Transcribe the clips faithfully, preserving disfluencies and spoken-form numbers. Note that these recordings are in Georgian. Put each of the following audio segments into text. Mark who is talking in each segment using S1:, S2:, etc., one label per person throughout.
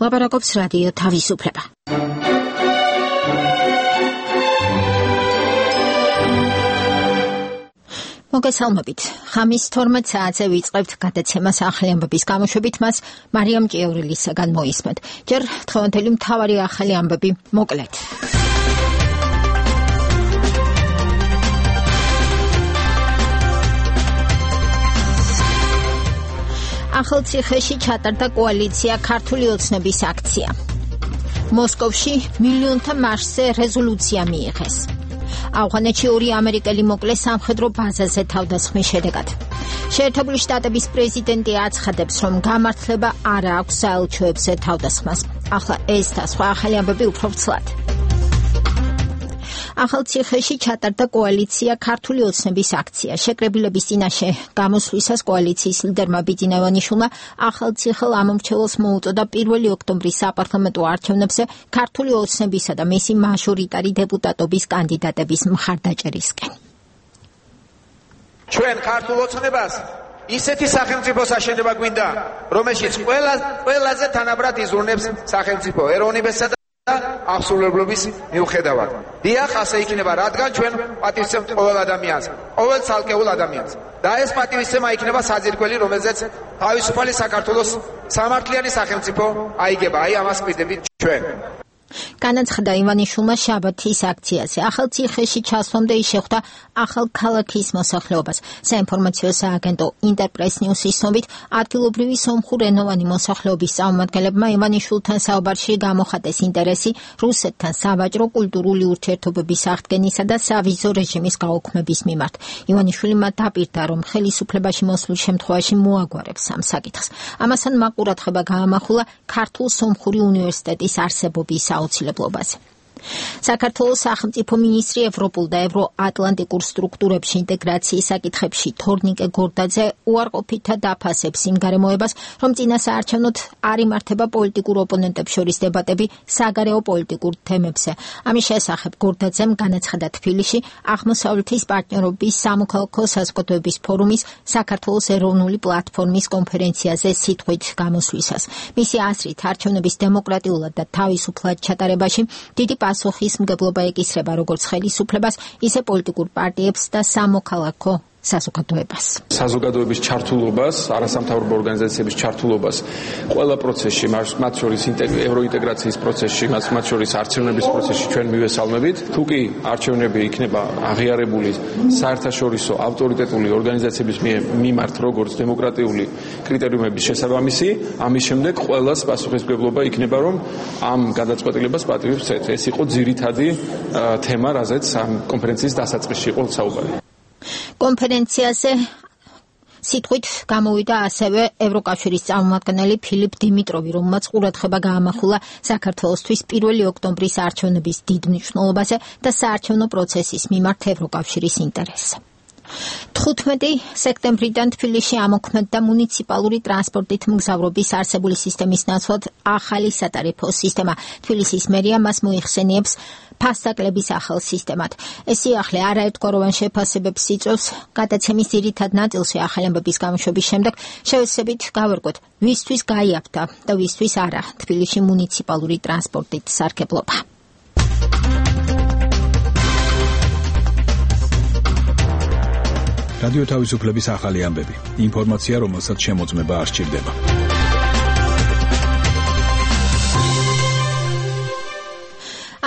S1: ლაპარაკობს რადიო თავისუფლება. მოგესალმებით. ხამის თორმეტ საათზე ვიწყებთ გადაცემას ახალი ამბების გამოშვებით, მას მარიამ ჭიევრილისაგან მოისმენთ. ჯერ დღევანდელი მთავარი ახალი ამბები მოკლედ. ახალციხეში ჩატარდა კოალიცია ქართული ოცნების აქცია. მოსკოვში მილიონთა მარშზე რეზოლუცია მიიღეს. ავღანეთში ორი ამერიკელი მოკლეს სამხედრო ბაზაზე თავდასხმის შედეგად. შეერთებული შტატების პრეზიდენტი აცხადებს, რომ გამართლება არ აქვს საელჩოებზე თავდასხმას. ახლა ეს და სხვა ახალი ამბები უფრო ცლად. ახალციხეში ჩატარდა კოალიცია ქართული ოცნების აქცია. შეკრებილების წინაშე გამოსვლისას კოალიციის ლიდერმა ბიძინა ივანიშვილმა ახალციხელ ამომრჩეველს მოუწოდა პირველი ოქტომბრის საპარლამენტო არჩევნებზე ქართული ოცნებისა და მისი მაჟორიტარი დეპუტატობის კანდიდატების მხარდაჭერისკენ.
S2: ჩვენ ქართულ ოცნებას ისეთი სახელმწიფოს აშენება გვინდა, რომელშიც ყველა ყველაზე თანაბრად იზრუნებს სახელმწიფო ეროვნებასა და აღსრულებლობის მიუხედავად. დიახ, ასე იქნება, რადგან ჩვენ პატივისცემთ ყოველ ადამიანს, ყოველ ცალკეულ ადამიანს. და ეს პატივისცემა იქნება საძირკველი, რომელზეც თავისუფალი საქართველოს სამართლიანი სახელმწიფო აიგება. აი ამას ვყიდებით ჩვენ.
S1: განაცხადა ივანიშვილმა შაბათის აქციაზე. ახალციხეში ჩასვლამდე ის შეხვდა ახალ ქალაქის მოსახლეობას. საინფორმაციო სააგენტო ინტერპრეს ნიუსის ცნობით, ადგილობრივი სომხურენოვანი მოსახლეობის წარმომადგენლებმა ივანიშვილთან საუბარში გამოხატეს ინტერესი რუსეთთან სავაჭრო კულტურული ურთიერთობების აღდგენისა და სავიზო რეჟიმის გაუქმების მიმართ. ივანიშვილი მათ დაპირდა, რომ ხელისუფლებაში მოსვლის შემთხვევაში მოაგვარებს ამ საკითხს. ამასთან მაყურადღება გაამახვილა ქართულ-სომხური უნივერსიტეტის არსებობის აუცილებლობაზე. საქართველოს სახელმწიფო მინისტრი ევროპულ და ევროატლანტიკურ სტრუქტურებში ინტეგრაციის საკითხებში თორნიკე გორდაძე უარყოფითად დაფასებს იმ გარემოებას, რომ წინა საარჩევნოდ არ იმართება პოლიტიკურ ოპონენტებს შორის დებატები საგარეო პოლიტიკურ თემებზე. ამის შესახებ გორდაძემ განაცხადა თბილისში აღმოსავლეთის პარტნიორობის სამოქალაქო საზოგადოების ფორუმის საქართველოს ეროვნული პლატფორმის კონფერენციაზე სიტყვით გამოსვლისას. მისი აზრით, არჩევნების დემოკრატიულად და თავისუფლად ჩატარებაში დიდი პასუხის მგებლობა ეკისრება როგორც ხელისუფლებას, ისე პოლიტიკურ პარტიებს და სამოქალაქო საზოგადოებას.
S3: საზოგადოების ჩართულობას, არასამთავრობო ორგანიზაციების ჩართულობას ყველა პროცესში, მათ შორის ევროინტეგრაციის პროცესში, მათ შორის არჩევნების პროცესში ჩვენ მივესალმებით. თუ კი არჩევნები იქნება აღიარებული საერთაშორისო ავტორიტეტული ორგანიზაციების მიმართ როგორც დემოკრატიული კრიტერიუმების შესაბამისი, ამის შემდეგ ყველას პასუხისმგებლობა იქნება, რომ ამ გადაწყვეტილებას პატივებს ცეთ. ეს იყო ძირითადი თემა, რაზეც ამ კონფერენციის დასაწყისში იყო საუბარი.
S1: კონფერენციაზე სიტყვით გამოვიდა ასევე ევროკავშირის წარმომადგენელი ფილიპ დიმიტროვი, რომელმაც ყურადღება გაამახვილა საქართველოსთვის პირველი ოქტომბრის არჩევნების დიდ მნიშვნელობაზე და საარჩევნო პროცესის მიმართ ევროკავშირის ინტერესზე. თხუთმეტი სექტემბრიდან თბილისში ამოქმედდა მუნიციპალური ტრანსპორტით მგზავრობის არსებული სისტემის ნაცვლად ახალი სატარიფო სისტემა. თბილისის მერია მას მოიხსენიებს ფასდაკლების ახალ სისტემად. ეს სიახლე არაერთგვაროვან შეფასებებს იწვევს. გადაცემის ძირითად ნაწილში ახალი ამბების გამოშვების შემდეგ შევეცდებით გავერკვოთ, ვისთვის გაიაფთა და ვისთვის არა თბილისში მუნიციპალური ტრანსპორტით სარგებლობა.
S4: რადიო თავისუფლების ახალი ამბები. ინფორმაცია, რომელსაც შემოწმება არ სჭირდება.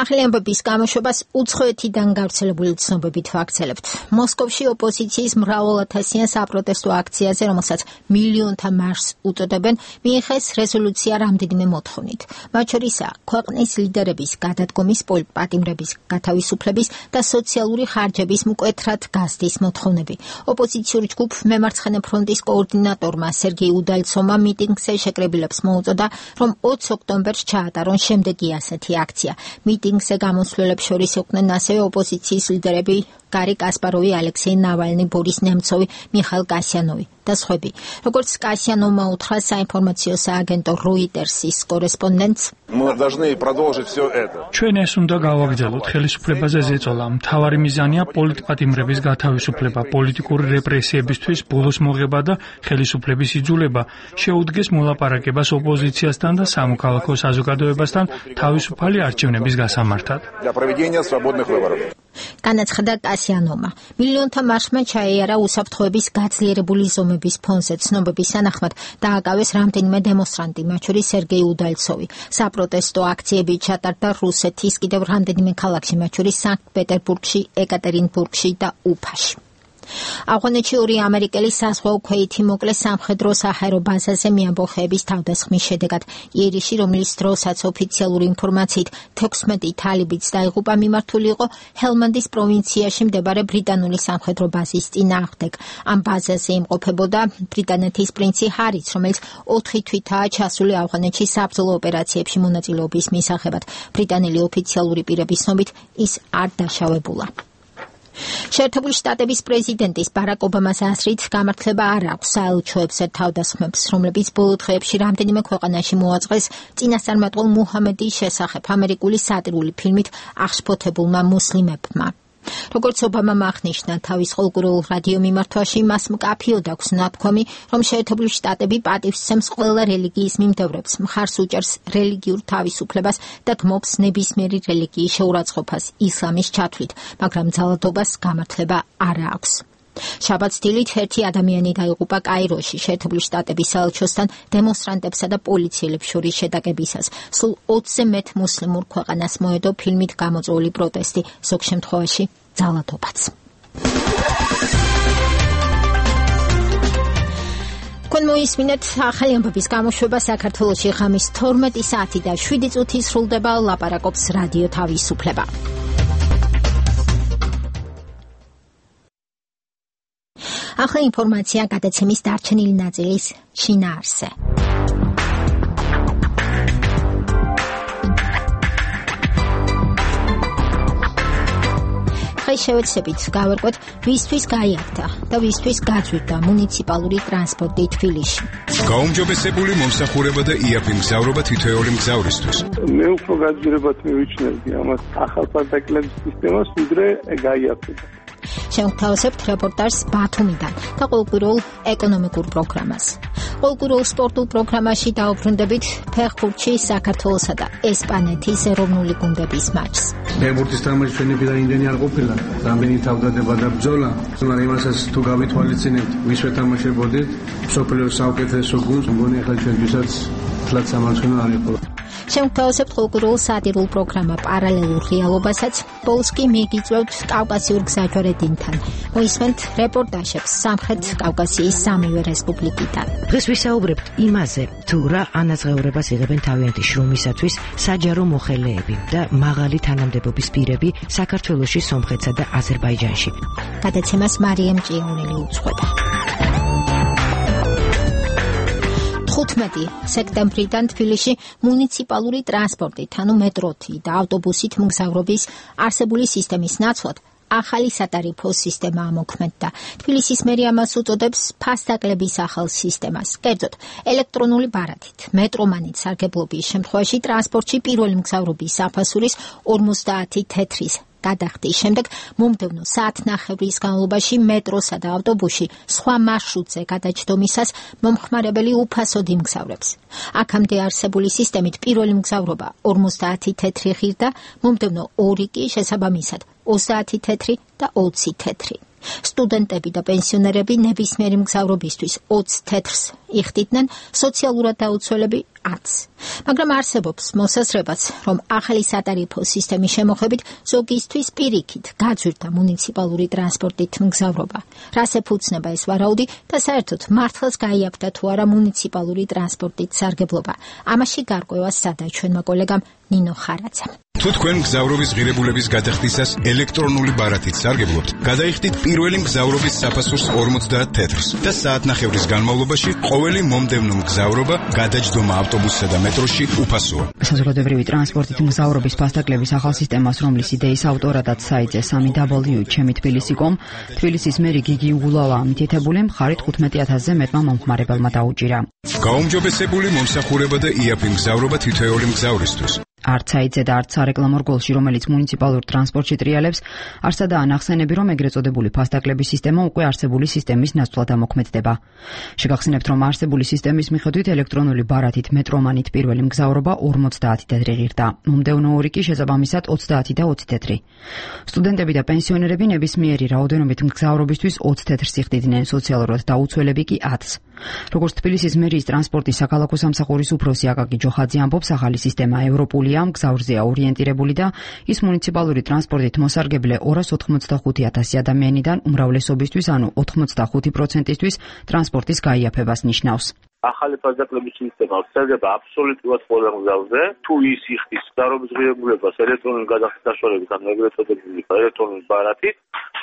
S1: ახალი ამბების გამოშვებას უცხოეთიდან გავრცელებული ცნობებით ვაქცელებთ. მოსკოვში ოპოზიციის მრავალათასიან საპროტესტო აქციაზე, რომელსაც მილიონთა მარშს უწოდებენ, მიიღეს რეზოლუცია რამდენიმე მოთხოვნით. მათ შორისაა ქვეყნის ლიდერების გადადგომის, პატიმრების გათავისუფლების და სოციალური ხარჯების მკვეთრად გაზრდის მოთხოვნები. ოპოზიციური ჯგუფ მემარცხენე ფრონტის კოორდინატორმა სერგეი უდალცოვმა მიტინგზე შეკრებილებს მოუწოდა, რომ ოცი ოქტომბერს ჩაატარონ შემდეგი ასეთი აქცია. მიტინგზე გამოსვლელებს შორის იყვნენ ასევე ოპოზიციის ლიდერები გარი კასპაროვი, ალექსეი ნავალნი, ბორის ნემცოვი, მიხაილ კასიანოვი და სხვები. როგორც კასიანოვმა უთხრა საინფორმაციო სააგენტო Reuters-ის კორესპონდენტს,
S5: ჩვენ ეს უნდა გავაგრძელოთ ხელისუფლებაზე ზეწოლა. მთავარი მიზანია პოლიტპატიმრების გათავისუფლება, პოლიტიკური რეპრესიებისთვის ბოლოს მოღება და ხელისუფლების იძულება შეუდგეს მოლაპარაკებას ოპოზიციასთან და სამოქალაქო საზოგადოებასთან თავისუფალი არჩევნების გასამართად.
S1: განაცხადა კასიანოვმა. მილიონთა მარშმა ჩაეარა უსაფრთხოების გაძლიერებული ზომების ფონზე ცნობების თანახმად დააკავეს რამდენიმე დემონსტრანტი, მათ შორის სერგეი უდალცოვი. საპროტესტო აქციები ჩატარდა რუსეთის კიდევ რამდენიმე ქალაქში, მათ შორის სანქტ-პეტერბურგში, ეკატერინბურგში და უფაში. ავღანეთში ორი ამერიკელი საზღვაო ქვეითი მოკლეს სამხედრო საჰაერო ბაზაზე მეამბოხეების თავდასხმის შედეგად. იერიში, რომლის დროსაც ოფიციალური ინფორმაციით თექვსმეტი თალიბიც დაიღუპა, მიმართული იყო ჰელმანდის პროვინციაში მდებარე ბრიტანული სამხედრო ბაზის წინააღმდეგ. ამ ბაზაზე იმყოფებოდა ბრიტანეთის პრინცი ჰარიც, რომელიც ოთხი თვითაა ჩასული ავღანეთში საბრძოლო ოპერაციებში მონაწილეობის მისაღებად. ბრიტანელი ოფიციალური პირების ცნობით ის არ დაშავებულა. შეერთებული შტატების პრეზიდენტის ბარაკ ობამას აზრით, გამართლება არ აქვს საელჩოებზე თავდასხმებს, რომლებიც ბოლო დღეებში რამდენიმე ქვეყანაში მოაწყეს წინასწარმეტყველ მუჰამედის შესახებ ამერიკული სატირული ფილმით აღშფოთებულმა მუსლიმებმა. როგორც ობამამ აღნიშნა თავის ყოველკვირეულ რადიო მიმართვაში, მას მკაფიოდ აქვს ნათქვამი, რომ შეერთებული შტატები პატივსცემს ყველა რელიგიის მიმდევრებს, მხარს უჭერს რელიგიურ თავისუფლებას და გმობს ნებისმიერი რელიგიის შეურაცხყოფას ისლამის ჩათვლით, მაგრამ ძალადობას გამართლება არ აქვს. შაბათს დილით ერთი ადამიანი დაიღუპა კაიროში, შეერთებული შტატების საელჩოსთან დემონსტრანტებსა და პოლიციელებს შორის შეტაკებისას. სულ ოცზე მეტ მუსლიმურ ქვეყანას მოედო ფილმით გამოწვეული პროტესტი, ზოგ შემთხვევაში ძალადობაც. თქვენ მოისმინეთ ახალი ამბების გამოშვება საქართველოში ღამის თორმეტი საათი და შვიდი წუთი სრულდება, ლაპარაკობს რადიო თავისუფლება. ახლა ინფორმაცია გადაცემის დარჩენილი ნაწილის შინაარსზე. დღეს შევეცდებით გავერკვეთ, ვისთვის გაიარდა და ვისთვის გაძვირდა მუნიციპალური ტრანსპორტი თბილისში.
S4: გაუმჯობესებული მომსახურება და იაფი მგზავრობა თითოეული მგზავრისთვის.
S6: მე უფრო გაძვირებად მივიჩნევდი ამას ახალ პარტაკლების სისტემას, ვიდრე გაიაფება.
S1: შევთავაზებთ რეპორტაჟს ბათუმიდან და ყოველკვირეულ ეკონომიკურ პროგრამას. ყოველკვირეულ სპორტულ პროგრამაში დაუბრუნდებით ფეხბურთში საქართველოსა და ესპანეთის ეროვნული გუნდების მატჩს.
S7: ფეხბურთის თამაში ჩვენებიდან იმდენი არ ყოფილა, რამდენი თავდადება და ბრძოლა, მაგრამ იმასაც თუ გავითვალისწინებთ, ვის ვეთამაშებოდით, მსოფლიოს საუკეთესო გუნდს, მგონი ახლა ჩვენთვისაც თლაც სამარცხინო არ იყო.
S1: შევთავაზებთ ყოველკვირეულ სატირულ პროგრამა პარალელურ რეალობასაც, ბოლოს კი მიგიწევთ კავკასიურ გზაჯვარედინთან. მოისმენთ რეპორტაჟებს სამხრეთ კავკასიის სამივე რესპუბლიკიდან.
S8: დღეს ვისაუბრებთ იმაზე, თუ რა ანაზღაურებას იღებენ თავიანთი შრომისათვის საჯარო მოხელეები და მაღალი თანამდებობის პირები საქართველოში, სომხეთსა და აზერბაიჯანში.
S1: გადაცემას მარიამ ჭიაურელი უძღვება. თხუთმეტი სექტემბრიდან თბილისში მუნიციპალური ტრანსპორტით, ანუ მეტროთი და ავტობუსით მგზავრობის არსებული სისტემის ნაცვლად ახალი სატარიფო სისტემა ამოქმედდა. თბილისის მერია მას უწოდებს ფასდაკლების ახალ სისტემას. კერძოდ, ელექტრონული ბარათით, მეტრომანით სარგებლობის შემთხვევაში ტრანსპორტში პირველი მგზავრობის საფასურის ორმოცდაათი თეთრის გადახდის შემდეგ მომდევნო საათნახევრის განმავლობაში მეტროსა და ავტობუსში სხვა მარშრუტზე გადაჯდომისას მომხმარებელი უფასოდ იმგზავრებს. აქამდე არსებული სისტემით პირველი მგზავრობა ორმოცდაათი თეთრი ღირდა, მომდევნო ორი კი შესაბამისად ოცდაათი თეთრი და ოცი თეთრი. სტუდენტები და პენსიონერები ნებისმიერი მგზავრობისთვის ოცი თეთრს იხდიდნენ, სოციალურად დაუცველები ათს. მაგრამ არსებობს მოსაზრებაც, რომ ახალი სატარიფო სისტემის შემოღებით ზოგისთვის პირიქით გაძვირდა მუნიციპალური ტრანსპორტით მგზავრობა. რას ეფუძნება ეს ვარაუდი და საერთოდ მართლაც გაიაფთა თუ არა მუნიციპალური ტრანსპორტით სარგებლობა? ამაში გარკვევას სადა ჩვენმა კოლეგამ ნინო ხარაძემ.
S9: თუ თქვენ მგზავრობის ღირებულების გადახდისას ელექტრონული ბარათით სარგებლობთ, გადაიხდით პირველი მგზავრობის საფასურს ორმოცდაათ თეთრს და საათნახევრის განმავლობაში ყოველი მომდევნო მგზავრობა, გადაჯდომა ავტობუსსა და მეტროში უფასოა.
S10: საზოგადოებრივი ტრანსპორტით მგზავრობის ფასდაკლების ახალ სისტემას, რომლის იდეის ავტორადაც საიტზე სამი დაბლიუ ჩემი თბილისი კომ, თბილისის მერი გიგი უგულავა მითითებული მხარით თხუთმეტი ათასზე მეტმა მომხმარებელმა დაუჭირა.
S9: გაუმჯობესებული მომსახურება და იაფი მგზავრობა თითოეული მგზავრისთვის.
S10: არც საიტზე და არც სარეკლამო რგოლში, რომელიც მუნიციპალურ ტრანსპორტში ტრიალებს, არცადაა ნახსენები, რომ ეგრეთ წოდებული ფასდაკლების სისტემა უკვე არსებული სისტემის ნაცვლად ამოქმედდება. შეგახსენებთ, რომ არსებული სისტემის მიხედვით ელექტრონული ბარათით მეტრომანით პირველი მგზავრობა ორმოცდაათი თეთრი ღირდა, მომდევნო ორი კი შესაბამისად ოცდაათი და ოცი თეთრი. სტუდენტები და პენსიონერები ნებისმიერი რაოდენობით მგზავრობისთვის ოცი თეთრს იხდიდნენ, სოციალურად დაუცველები კი ათს. როგორც თბილისის მერიის ტრანსპორტის საქალაქო სამსახურის უფროსი აკაკი ჯოხაძე ამბობს, ახალი სისტემა ევროპულია, მგზავრზეა ორიენტირებული და ის მუნიციპალური ტრანსპორტით მოსარგებლე ორას ოთხმოცდახუთი ათასი ადამიანიდან უმრავლესობისთვის, ანუ ოთხმოცდახუთი პროცენტისთვის ტრანსპორტის გაიაფებას ნიშნავს.
S11: ახალი ფასდაკლების სისტემა ვრცელდება აბსოლუტურად ყველა მგზავრზე. თუ ის იხდის მგზავრობის ღირებულებას ელექტრონული გადახდის საშუალებით, ან ეგრეთ წოდებული ელექტრონული ბარათით,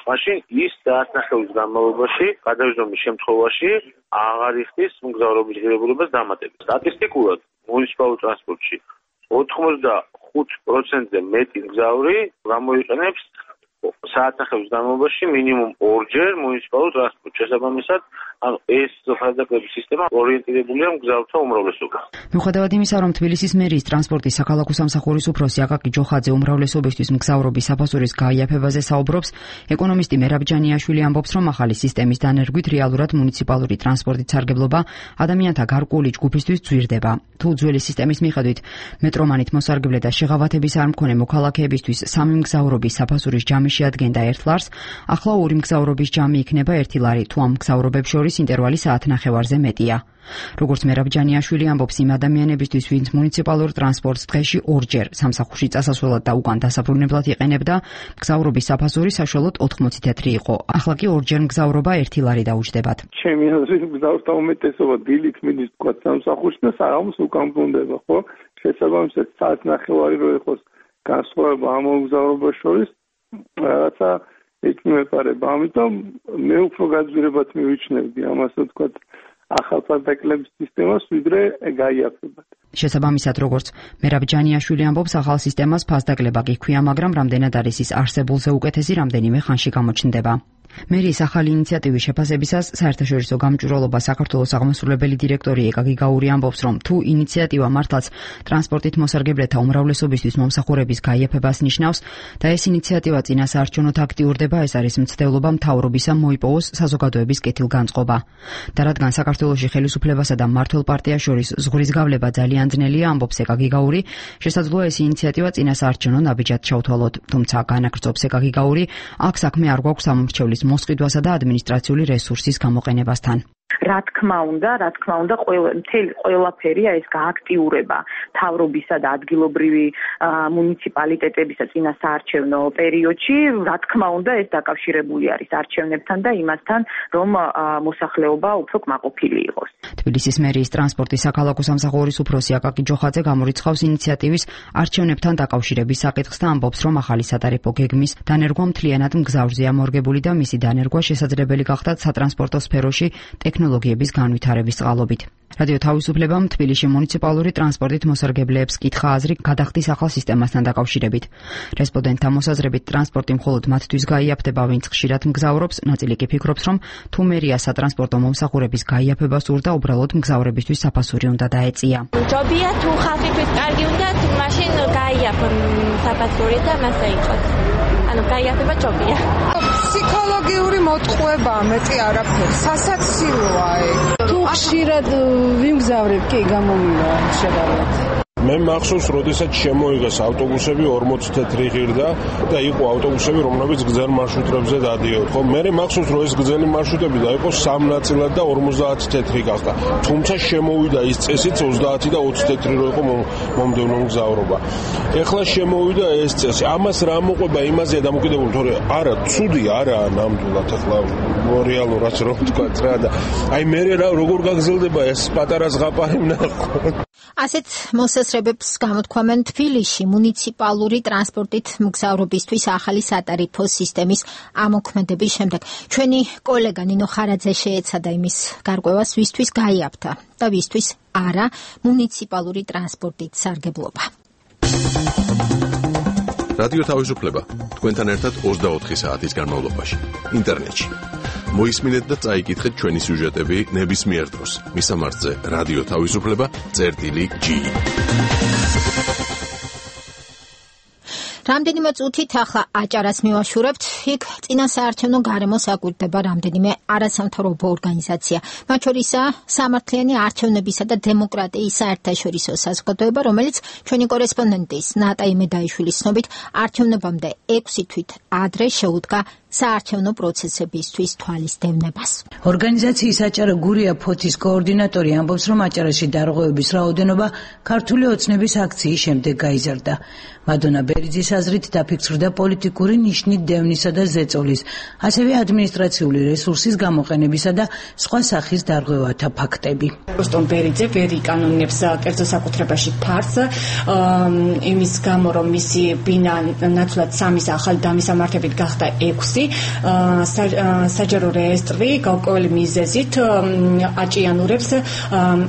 S11: მაშინ ის საათნახევრის განმავლობაში, გადაჯდომის შემთხვევაში აღარ იხდის მგზავრობის ღირებულებას დამატებით. სტატისტიკურად მუნიციპალურ ტრანსპორტში ოთხმოცდახუთ პროცენტზე მეტი მგზავრი გამოიყენებს საათნახევრის განმავლობაში მინიმუმ ორჯერ მუნიციპალურ ტრანსპორტს. შესაბამისად, ანუ ეს ფასდაკლების სისტემა ორიენტირებულია მგზავრთა უმრავლესობას.
S10: მიუხედავად იმისა, რომ თბილისის მერიის ტრანსპორტის საქალაქო სამსახურის უფროსი აკაკი ჯოხაძე უმრავლესობისთვის მგზავრობის საფასურის გაიაფებაზე საუბრობს, ეკონომისტი მერაბ ჯანიაშვილი ამბობს, რომ ახალი სისტემის დანერგვით რეალურად მუნიციპალური ტრანსპორტით სარგებლობა ადამიანთა გარკვეული ჯგუფისთვის ძვირდება. თუ ძველი სისტემის მიხედვით მეტრომანით მოსარგებლე და შეღავათების არ მქონე მოქალაქეებისთვის სამი მგზავრობის საფასურის ჯამი შეადგენდა ერთ ლარს, ახლა ორი მგზავრობის ჯამი იქნება ერთი ლარი, თუ ამ მგზავრობებს შორის ინტერვალი საათნახევარზე მეტია. როგორც მერაბ ჯანიაშვილი ამბობს, იმ ადამიანებისთვის, ვინც მუნიციპალურ ტრანსპორტს დღეში ორჯერ სამსახურში წასასვლელად და უკან დასაბრუნებლად იყენებდა, მგზავრობის საფასური საშუალოდ ოთხმოცი თეთრი იყო. ახლა კი ორჯერ მგზავრობა ერთი ლარი დაუჯდებათ.
S6: ჩემი აზრით მგზავრთა უმეტესობა დილით მიდის თქვა სამსახურში და საღამოს უკან ბრუნდება, ხო? შესაბამისად საათნახევარი რო იყოს განსხვავება ამ მგზავრობას შორის, რაღაცა ეკმეპარება. ამიტომ მე უფრო გაძვირებად მივიჩნევდი ამას, თქვა ახალ ფასდაკლების სისტემას, ვიდრე გაიაფებათ.
S10: შესაბამისად, როგორც მერაბ ჯანიაშვილი ამბობს, ახალ სისტემას ფასდაკლება კი ჰქვია, მაგრამ რამდენად არის ის არსებულზე უკეთესი, რამდენიმე ხანში გამოჩნდება. მერიის ახალი ინიციატივის შეფასებისას საერთაშორისო გამჭვირვალობა საქართველოს აღმასრულებელი დირექტორი ეკაგი გაური ამბობს, რომ თუ ინიციატივა მართლაც ტრანსპორტით მოსარგებლეთა უმრავლესობისთვის მომსახურების გაიაფებას ნიშნავს და ეს ინიციატივა წინასაარჩევნოდ აქტიურდება, ეს არის მცდელობა მთავრობისა მოიპოვოს საზოგადოების კეთილგანწყობა. და რადგან საქართველოში ხელისუფლებასა და მმართველ პარტიას შორის ზღვრის გავლება ძალიან ძნელია, ამბობს ეკაგი გაური, შესაძლოა ეს ინიციატივა წინასაარჩევნო ნაბიჯად ჩავთვალოთ. თუმცა განაგრძობს ეკაგი გაური, აქ საქმე არ გვაქვს სამომრჩევლის მოსყიდვასა და ადმინისტრაციული რესურსის გამოყენებასთან.
S12: რა თქმა უნდა, რა თქმა უნდა, მთელი ყველაფერია ეს გააქტიურება თავრობისა და ადგილობრივი მუნიციპალიტეტებისა წინასაარჩევნო პერიოდში. რა თქმა უნდა, ეს დაკავშირებული არის არჩევნებთან და იმასთან, რომ მოსახლეობა უფრო კმაყოფილი იყოს.
S10: თბილისის მერიის ტრანსპორტის საქალაქო სამსახურის უფროსი აკაკი ჯოხაძე გამორიცხავს ინიციატივის არჩევნებთან დაკავშირების საკითხს და ამბობს, რომ ახალი სატარიფო გეგმის დანერგვა მთლიანად მგზავრზეა მორგებული და მისი დანერგვა შესაძლებელი გახდა სატრანსპორტო სფეროში ტექნოლოგიების განვითარების წყალობით. რადიო თავისუფლებამ თბილისში მუნიციპალური ტრანსპორტით მოსარგებლეებს კითხა აზრი გადახდის ახალ სისტემასთან დაკავშირებით. რესპონდენტთა მოსაზრებით ტრანსპორტი მხოლოდ მათთვის გაიაფდება, ვინც ხშირად მგზავრობს, ნაწილი კი ფიქრობს, რომ თუ მერია სატრანსპორტო მომსახურების გაიაფებას სურდა, უბრალოდ მგზავრებისთვის საფასური უნდა დაეწია.
S13: ჯობია თუ ხალხისთვის კარგი უნდა, მაშინ გაიაფონ საფასური და მასე იყოს. ანუ გაიაფება ჯობია.
S14: ფსიქოლოგიური მოტყუება მეტი არაფერი. სასაცილოა ეგ. თუ ხშირად ვიმგზავრებ, კი გამომივა შეგავლეთ.
S15: მე მახსოვს, როდესაც შემოიღეს ავტობუსები ორმოცი თეთრი ღირდა და იყო ავტობუსები, რომლებიც გრძელ მარშრუტებზე დადიოდა. ხო, მე მახსოვს, რომ ეს გრძელი მარშრუტები დაიყო სამ ნაწილად და ორმოცდაათი თეთრი გახდა. თუმცა შემოვიდა ის წესიც ოცდაათი და ოცი თეთრი რო იყო მომდევნო მგზავრობა. ეხლა შემოვიდა ეს წესი. ამას რა მოყვება იმაზე დამოკიდებული, თორე არა, ცუდი არაა ნამდვილად ეხლა რეალურად რომ ვთქვათ რა და აი მე რა როგორ გაგზელდება ეს პატარა ზღაპარი ვნახო.
S1: ასეთ მოსას შესაძლებლობებს გამოთქვამენ თბილისში მუნიციპალური ტრანსპორტით მგზავრობისთვის ახალი სატარიფო სისტემის ამოქმედების შემდეგ. ჩვენი კოლეგა ნინო ხარაძე შეეცადა იმის გარკვევას, ვისთვის გაიაფთა და ვისთვის არა მუნიციპალური ტრანსპორტით სარგებლობა.
S16: რადიო თავისუფლება თქვენთან ერთად ოცდაოთხი საათის განმავლობაში ინტერნეტში. მოისმინეთ და წაიკითხეთ ჩვენი სიუჟეტები ნებისმიერ დროს. მისამართზე რადიო თავისუფლება წერტილი ჯი.
S1: რამდენიმე წუთით ახლა აჭარას მივაშურებთ. იქ წინასაარჩევნო გარემოს აკვირდება რამდენიმე არასამთავრობო ორგანიზაცია. მათ შორისაა სამართლიანი არჩევნებისა და დემოკრატიის საერთაშორისო საზოგადოება, რომელიც ჩვენი კორესპონდენტის ნატა იმედაიშვილის ცნობით არჩევნებამდე ექვსი თვით ადრე შეუდგა საარჩევნო პროცესებისთვის თვალის დევნებას.
S17: ორგანიზაციის აჭარა გურია ფოთის კოორდინატორი ამბობს, რომ აჭარაში დარღვევების რაოდენობა ქართული ოცნების აქციის შემდეგ გაიზარდა. მადონა ბერიძის აზრით დაფიქსირდა პოლიტიკური ნიშნით დევნისა და ზეწოლის, ასევე ადმინისტრაციული რესურსის გამოყენებისა და სხვა სახის დარღვევათა ფაქტები.
S18: როსტომ ბერიძე ვერ იკანონებს კერძო საკუთრებაში ფარს, იმის გამო, რომ მისი ბინა ნაცვლად სამის ახალი დამისამართებით გახდა ექვსი. საჯარო რეესტრი გაურკვეველი მიზეზით აჭიანურებს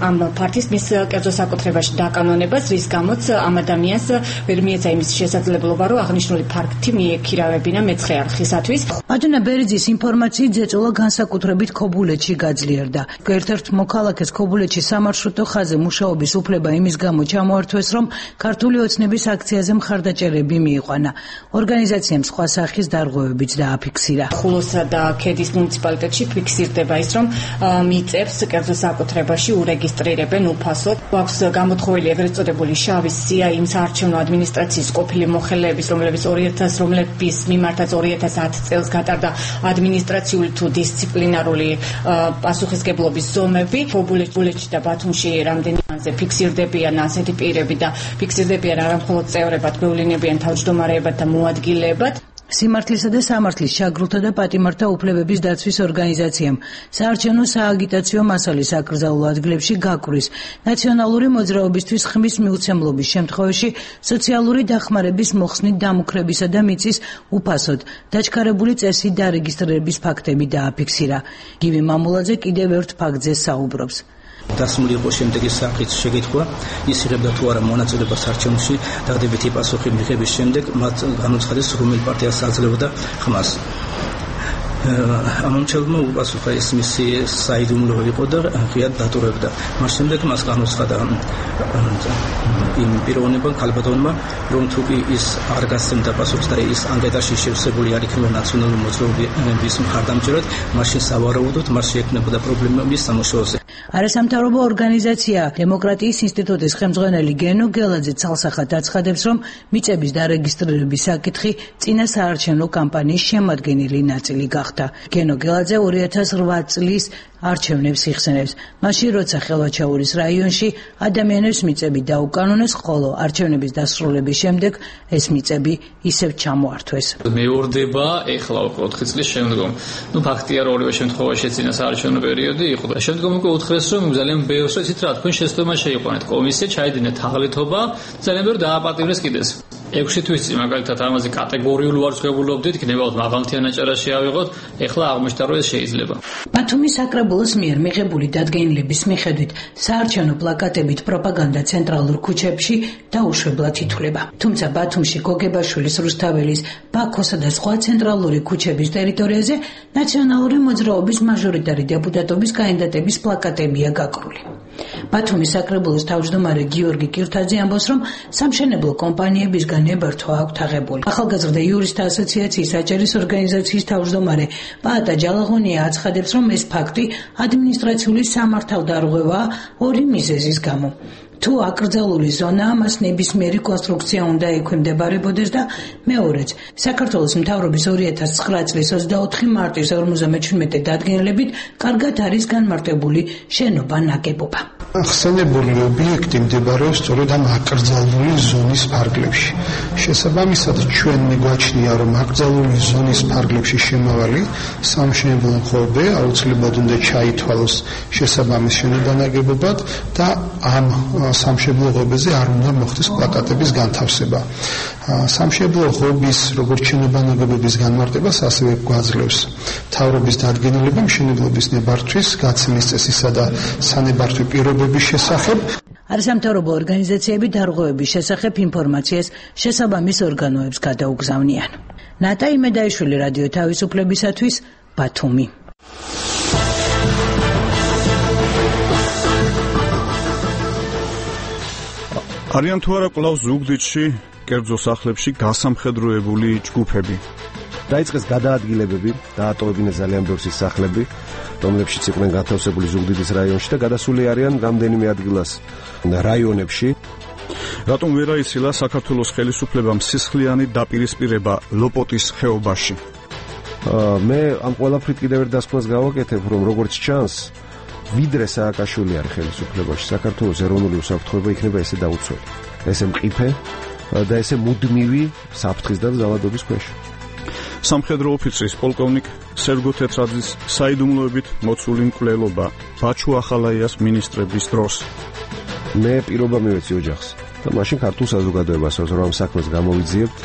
S18: ამ ფარტის მის კერძო საკუთრებაში დაკანონებას, რის გამოც ამ ადამიანს ვერ მიეცა იმის შესაძლებლობა, რომ აღნიშნული ფაქტი მიექირავებინა მეცხრე არხისათვის.
S17: მადონა ბერიძის ინფორმაციით ზეწოლა განსაკუთრებით ქობულეთში გაძლიერდა. ერთ-ერთ მოქალაქეს ქობულეთში სამარშრუტო ხაზზე მუშაობის უფლება იმის გამო ჩამოართვეს, რომ ქართული ოცნების აქციაზე მხარდაჭერები მიიყვანა. ორგანიზაციამ სხვა სახის დარღვევებიც და
S18: ხულოსა და ქედის მუნიციპალიტეტში ფიქსირდება ის, რომ მიწებს კერძო საკუთრებაში ურეგისტრირებენ უფასოდ. აქვს გამოთხოვილი ეგრეთ წოდებული შავი სია იმ საარჩევნო ადმინისტრაციის ყოფილი მოხელეების, რომლებიც ორი ათას რომლების მიმართაც ორი ათას ათი წელს გატარდა ადმინისტრაციული თუ დისციპლინარული პასუხისგებლობის ზომები. ქობულეთში და ბათუმში რამდენიმეზე ფიქსირდებიან ასეთი პირები და ფიქსირდებიან არა მხოლოდ წევრებად, გვევლინებიან თავმჯდომარეებად და მოადგილეებად.
S17: სიმართლისა და სამართლის შაგრულთა და პატიმართა უფლებების დაცვის ორგანიზაციამ საარჩევნო სააგიტაციო მასალის აკრძალულ ადგილებში გაკვრის ნაციონალური მოძრაობისთვის ხმის მიუცემლობის შემთხვევაში სოციალური დახმარების მოხსნით დამუქრებისა და მიწის უფასოდ დაჩქარებული წესით დარეგისტრირების ფაქტები დააფიქსირა. გივი მამულაძე კიდევ ერთ ფაქტზე საუბრობს.
S19: დასმული იყო შემდეგი საკითხის შეკითხვა, ის იღებდა თუ არა მონაწილეობას არჩევნებში, დადებითი პასუხი მიღების შემდეგ მათ განუცხადეს რომელი პარტიას აძლევდა ხმას. ამომრჩევლმა უპასუხა ეს მისი საიდუმლო იყო და ღიად დატოვებდა. მას შემდეგ მას განუცხადა იმ პიროვნებამ ქალბატონმა, რომ თუ კი ის არ გასცემდა პასუხს და ის ანკეტაში შევსებული არ იქნება ნაციონალური მოძრაობის მხარდამჭერად, მაშინ სავარაუდოდ მას შეექმნებოდა პრობლემები სამუშაოზე.
S17: არასამთავრობო ორგანიზაცია დემოკრატიის ინსტიტუტის ხელმძღვანელი გენო გელაძე ცალსახად აცხადებს, რომ მიწების დარეგისტრირების საკითხი წინა საარჩევნო კამპანიის შემადგენელი ნაწილი გახდა. გენო გელაძე ორი ათას ოთხ წლის არჩევნებს იხსენებს. მაშინ როცა ხელვაჩაურის რაიონში ადამიანებს მიწები დაუკანონეს, ხოლო არჩევნების დასრულების შემდეგ ეს მიწები ისევ ჩამოართვეს.
S20: მეორდება ეხლა უკვე ოთხი წლის შემდგომ. ნუ ფაქტია, რომ ორივე შემთხვევაში წინა საარჩევნო პერიოდი იყო და შემდგომ უკვე უთხრეს, რომ ძალიან ბევრს იცით რა, თქვენ შეცდომა შეიყვანეთ, კომისია ჩაიდინეთ თაღლითობა, ძალიან ბევრი დააპატიმრეს კიდეს. ექვსი თვის წინ მაგალითად ამაზე კატეგორიულ ვარცხებულობდით, იქნებოდა მაღალმთიან აჭარაში ავიღოთ, ეხლა აღმოჩნდა, რომ ეს შეიძლება.
S17: ბათუმის საკრებულოს მიერ მიღებული დადგენილების მიხედვით საარჩევნო პლაკატებით პროპაგანდა ცენტრალურ ქუჩებში დაუშვებლად ითვლება. თუმცა ბათუმში გოგებაშვილის, რუსთაველის, ბაქოსა და სხვა ცენტრალური ქუჩების ტერიტორიაზე ნაციონალური მოძრაობის მაჟორიტარი დეპუტატობის კანდიდატების პლაკატებია გაკრული. ბათუმის საკრებულოს თავმჯდომარე გიორგი კირთაძე ამბობს, რომ სამშენებლო კომპანიებისგან ნებართვა აქვთ აღებული. ახალგაზრდა იურისტთა ასოციაციის აჭარის ორგანიზაციის თავმჯდომარე პაატა ჯალაღონია აცხადებს, რომ ეს ფაქტი ადმინისტრაციული სამართალდარღვევაა ორი მიზეზის გამო. თუ აკრძალული ზონაა, მას ნებისმიერი კონსტრუქცია უნდა ექვემდებარებოდეს და მეორეც, საქართველოს მთავრობის ორი ათას ცხრა წლის ოცდაოთხი მარტის ორმოცდამეჩვიდმეტე დადგენილებით კარგად არის განმარტებული შენობა ნაგებობა.
S21: ხსენებული ობიექტი მდებარეობს სწორედ ამ აკრძალული ზონის ფარგლებში. შესაბამისად, ჩვენ მიგვაჩნია, რომ აკრძალული ზონის ფარგლებში შემავალი სამშენებლო ღობე აუცილებლად უნდა ჩაითვალოს შესაბამის შენობანაგებობად და ამ სამშენებლო ღობეზე არ უნდა მოხდეს პლაკატების განთავსება. სამშენებლო ღობის როგორც შენობანაგებების განმარტებას ასევე გვაძლევს მთავრობის დადგენილება მშენებლობის ნებართვის, გაცემის წესისა და სანებართვი პირობების შესახებ.
S17: არასამთავრობო ორგანიზაციები დარღვევების შესახებ ინფორმაციას შესაბამის ორგანოებს გადაუგზავნიან. ნატა იმედაიშვილი, რადიო თავისუფლებისათვის, ბათუმი.
S22: არიან თუ არა კვლავ ზუგდიდში, კერძო სახლებში გასამხედროებული ჯგუფები.
S23: დაიწყეს გადაადგილებები, დაატოვებინეს ძალიან ბევრი სახლები, რომლებშიც იყვნენ განთავსებული ზუგდიდის რაიონში და გადასული არიან რამდენიმე ადგილას რაიონებში.
S22: რატომ ვერ აიცილა საქართველოს ხელისუფლებამ სისხლიანი დაპირისპირება ლოპოტის ხეობაში?
S23: მე ამ ყველაფრით კიდევ ერთ დასკვნას გავაკეთებ, რომ როგორც ჩანს, ვიდრე სააკაშვილი არის ხელისუფლებაში, საქართველოს ეროვნული უსაფრთხოება იქნება ესე დაუცველი, ესე მყიფე და ესე მუდმივი საფრთხის და ძალადობის ქვეშ.
S22: სამხედრო ოფიცრის პოლკოვნიკ სერგო თეთრაძის საიდუმლოებით მოცული მკვლელობა ბაჩუ ახალაიას მინისტრების დროს.
S23: მე პირობა მივეცი ოჯახს და მაშინ ქართულ საზოგადოებას, რომ ამ საქმეს გამოვიძიებთ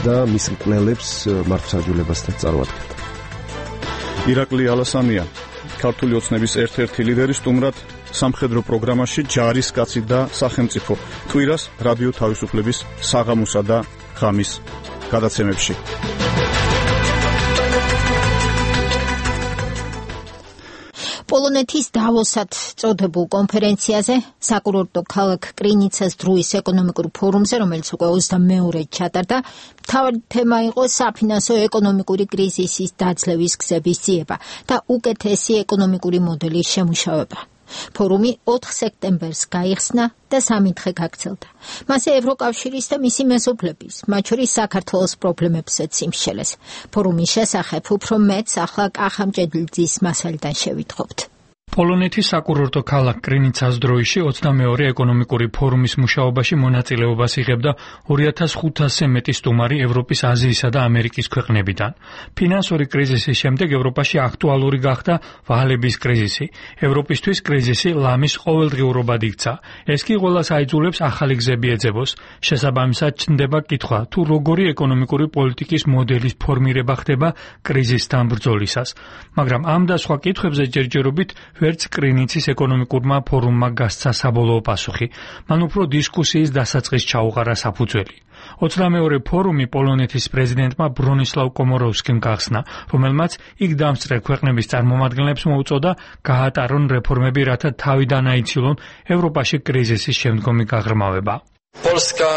S23: და მის მკვლელებს მართლმსაჯულებასთან წარვადგეთ.
S22: ირაკლი ალასამია, ქართული ოცნების ერთ-ერთი ლიდერი, სტუმრად სამხედრო პროგრამაში ჯარისკაცი და სახელმწიფო კვირას რადიო თავისუფლების საღამოსა და ღამის გადაცემებში.
S1: პოლონეთის დავოსად წოდებულ კონფერენციაზე, საკურორტო ქალაქ კრინიცას დროის ეკონომიკურ ფორუმზე, რომელიც უკვე ოცდამეორედ ჩატარდა, მთავარი თემა იყო საფინანსო ეკონომიკური კრიზისის დაძლევის გზების ძიება და უკეთესი ეკონომიკური მოდელის შემუშავება. ფორუმი ოთხ სექტემბერს გაიხსნა და სამი დღე გაგრძელდა. მასზე ევროკავშირის და მისი მეზობლების, მათ შორის საქართველოს პრობლემებსაც იმსჯელეს. ფორუმის შესახებ უფრო მეტს ახლა კახამჭედლიძის მასალიდან შევიტყობთ.
S5: პოლონეთის საკურორტო ქალაქ კრინიცას დროიში ოცდამეორე ეკონომიკური ფორუმის მუშაობაში მონაწილეობას იღებდა ორი ათას ხუთასზე მეტი სტუმარი ევროპის, აზიისა და ამერიკის ქვეყნებიდან. ფინანსური კრიზისის შემდეგ ევროპაში აქტუალური გახდა ვალების კრიზისი. ევროპისთვის კრიზისი ლამის ყოველდღიურობად იქცა. ეს კი ყველას აიძულებს ახალი გზები ეძებოს. შესაბამისად ჩნდება კითხვა, თუ როგორი ეკონომიკური პოლიტიკის მოდელის ფორმირება ხდება კრიზისთან ბრძოლისას. მაგრამ ამ და სხვა კითხვებზე ჯერჯერობით ვერც კრინიცის ეკონომიკურმა ფორუმმა გასცა საბოლოო პასუხი. მან უფრო დისკუსიის დასაწყის ჩაუყარა საფუძველი. ოცდამეორე ფორუმი პოლონეთის პრეზიდენტმა ბრონისლავ კომოროვსკიმ გახსნა, რომელმაც იქ დამსწრე ქვეყნების წარმომადგენლებს მოუწოდა გაატარონ რეფორმები, რათა თავიდან აიცილონ ევროპაში კრიზისის შემდგომი გაღრმავება.
S24: Polska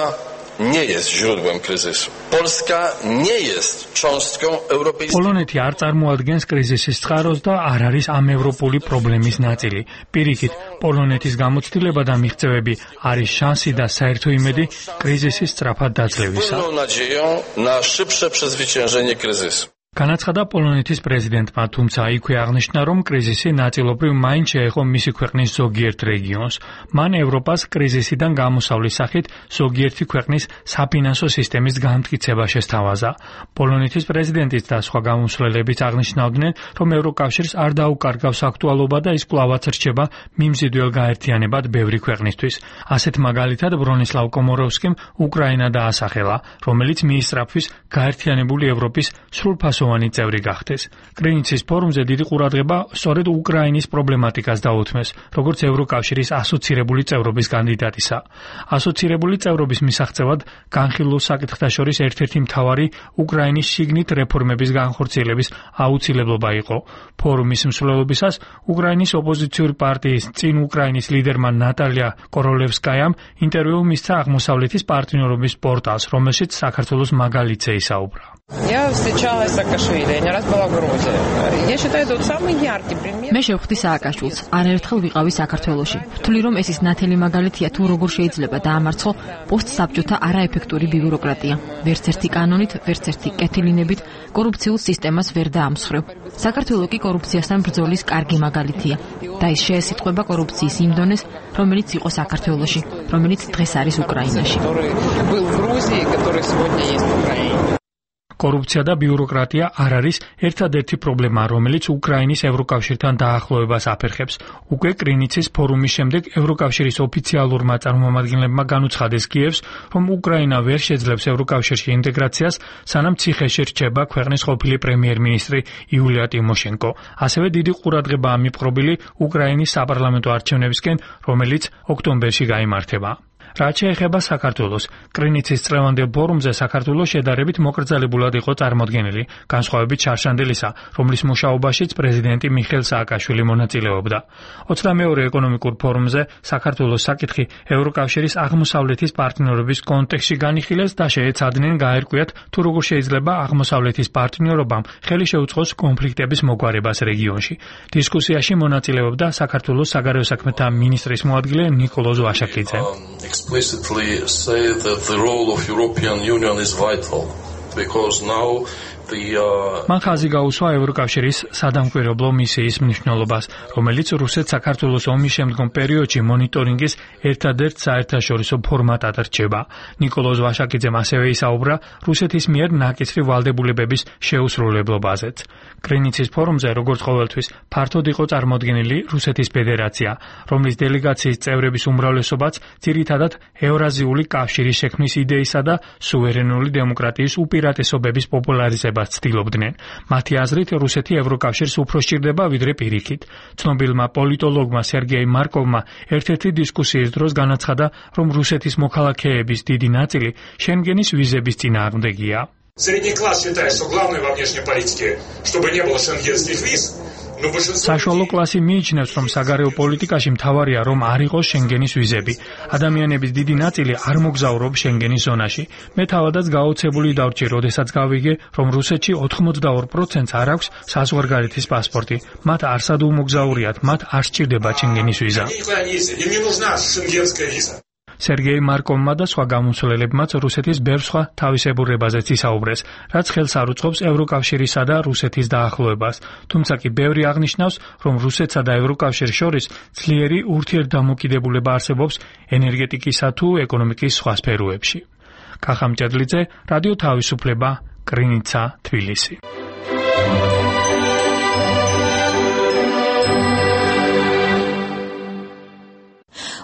S24: nie jest źródłem kryzysu. Polska nie jest cząstką europejskiej.
S5: პოლონეთი არ წარმოადგენს კრიზისის წყაროს და არ არის ამ ევროპული პრობლემის ნაწილი. პირიქით, პოლონეთის გამოცდილება და მიღწევები არის შანსი და საერთო იმედი კრიზისის სწრაფად დაძლევისა.
S24: Pełną nadzieją na szybsze przezwyciężenie kryzysu.
S5: განაცხადა პოლონეთის პრეზიდენტმა, თუმცა იქვე აღნიშნა, რომ კრიზისი ნაწილობრივ მაინც შეეხო მისი ქვეყნის ზოგიერთ რეგიონს. მან ევროპას კრიზისიდან გამოსავლის სახით ზოგიერთი ქვეყნის საფინანსო სისტემის განმტკიცება შესთავაზა. პოლონეთის პრეზიდენტიც და სხვა გამომსვლელებიც აღნიშნავდნენ, რომ ევროკავშირს არ დაუკარგავს აქტუალობა და ის კვლავაც რჩება მიმზიდველ გაერთიანებად ბევრი ქვეყნისთვის. ასეთ მაგალითად ბრონისლავ კომოროვსკიმ უკრაინა დაასახელა, რომელიც მიისწრაფვის გაერთიანებული ევროპის სრულფასოვანი წევრი გახდეს. კრინიცის ფორუმზე დიდი ყურადღება სწორედ უკრაინის პრობლემატიკას დაუთმეს, როგორც ევროკავშირის ასოცირებული წევრობის კანდიდატისა. ასოცირებული წევრობის მისაღწევად განხილულ საკითხთა შორის ერთ-ერთი მთავარი უკრაინის შიგნით რეფორმების განხორციელების აუცილებლობა იყო. ფორუმის მსვლელობისას უკრაინის ოპოზიციური პარტიის წინ უკრაინის ლიდერმა ნატალია კოროლევსკაიამ ინტერვიუ მისცა აღმოსავლეთის პარტნიორობის პორტალს, რომელშიც საქართველოს მაგალითზე ისაუბრა.
S2: Я встречала Саакашвили, я не раз была в Грузии. Я считаю, это самый яркий пример.
S3: მე შევხვდი სააკაშვილს, არაერთხელ ვიყავი საქართველოში. ვთვლი რომ ეს ის ნათელი მაგალითია თუ როგორ შეიძლება დაამარცხო პოსტსაბჭოთა არაეფექტური ბიუროკრატია. ვერც ერთი კანონით, ვერც ერთი კეთილინებით კორუფციულ სისტემას ვერ დაამსხვრევ. საქართველო კი კორუფციასთან ბრძოლის კარგი მაგალითია. და ის შეესიტყვება კორუფციის იმ დონეს, რომელიც იყო საქართველოში, რომელიც დღეს არის უკრაინაში.
S2: Был в Грузии, который сегодня есть в Украине.
S5: კორუფცია და ბიუროკრატია არ არის ერთადერთი პრობლემა, რომელიც უკრაინის ევროკავშირთან დაახლოებას აფერხებს. უკვე კრინიცის ფორუმის შემდეგ ევროკავშირის ოფიციალურმა წარმომადგენლებმა განუცხადეს კიევს, რომ უკრაინა ვერ შეძლებს ევროკავშირში ინტეგრაციას, სანამ ციხეში რჩება ქვეყნის ყოფილი პრემიერ-მინისტრი იულია ტიმოშენკო. ასევე დიდი ყურადღებაა მიპყრობილი უკრაინის საპარლამენტო არჩევნებისკენ, რომელიც ოქტომბერში გაიმართება. რაც შეეხება საქართველოს, კრინიცის წლევანდელ ფორუმზე საქართველოს შედარებით მოკრძალებულად იყო წარმოდგენილი, განსხვავებით შარშანდელისა, რომლის მუშაობაშიც პრეზიდენტი მიხეილ სააკაშვილი მონაწილეობდა. ოცდამეორე ეკონომიკურ ფორუმზე საქართველოს საკითხი ევროკავშირის აღმოსავლეთის პარტნიორობის კონტექსტში განიხილეს და შეეცადნენ გაერკვიათ, თუ როგორ შეიძლება აღმოსავლეთის პარტნიორობამ ხელი შეუწყოს კონფლიქტების მოგვარებას რეგიონში. დისკუსიაში მონაწილეობდა საქართველოს საგარეო საქმეთა მინისტრის მოადგილე ნიკოლოზ ვაშაკიძე.
S24: explicitly say that the role of European Union is vital because now the uh...
S5: მან ხაზი გაუსვა ევროკავშირის სადამკვირვებლო მისიის მნიშვნელობას, რომელიც რუსეთ საქართველოს ომის შემდგომ პერიოდში მონიტორინგის ერთადერთ საერთაშორისო ფორმატად რჩება. ნიკოლოზ ვაშაკიძემ ასევე ისაუბრა რუსეთის მიერ ნაკისრი ვალდებულებების შეუსრულებლობაზეც. კრინიცის ფორუმზე, როგორც ყოველთვის, ფართოდ იყო წარმოდგენილი რუსეთის ფედერაცია, რომლის დელეგაციის წევრების უმრავლესობაც ძირითადად ევრაზიული კავშირის შექმნის იდეისა და სუვერენული დემოკრატიის უპირატესობების პოპულარიზებას ცდილობდნენ. მათი აზრით, რუსეთი ევროკავშირს უფრო სჭირდება ვიდრე პირიქით. ცნობილმა პოლიტოლოგმა სერგეი მარკოვმა ერთ-ერთი დისკუსიის დროს განაცხადა, რომ რუსეთის მოქალაქეების დიდი ნაწილი შენგენის ვიზების წინააღმდეგია.
S4: Средний класс считает, что главное во внешней политике, чтобы не было шенгенских виз.
S5: საშუალო კლასი მიიჩნევს, რომ საგარეო პოლიტიკაში მთავარია, რომ არ იყოს შენგენის ვიზები. ადამიანების დიდი ნაწილი არ მოგზაურობს შენგენის ზონაში. მე თავადაც გაოცებული დავჭი, როდესაც გავიგე, რომ რუსეთში ოთხმოცდაორ პროცენტს არ აქვს საზღვარგარეთის პასპორტი. მათ არსად უმოგზაურიათ, მათ არ სჭირდება შენგენის ვიზა. სერგეი მარკოვმა და სხვა გამომცვლელებმაც რუსეთის ბევრ სხვა თავისებურებაზეც ისაუბრეს, რაც ხელს არ უწყობს ევროკავშირისა და რუსეთის დაახლოებას. თუმცა კი ბევრი აღნიშნავს, რომ რუსეთსა და ევროკავშირს შორის ძლიერი ურთიერთდამოკიდებულება არსებობს ენერგეტიკისა თუ ეკონომიკის სხვა სფეროებში. კახა მჭედლიძე, რადიო თავისუფლება, კრინიცა, თბილისი.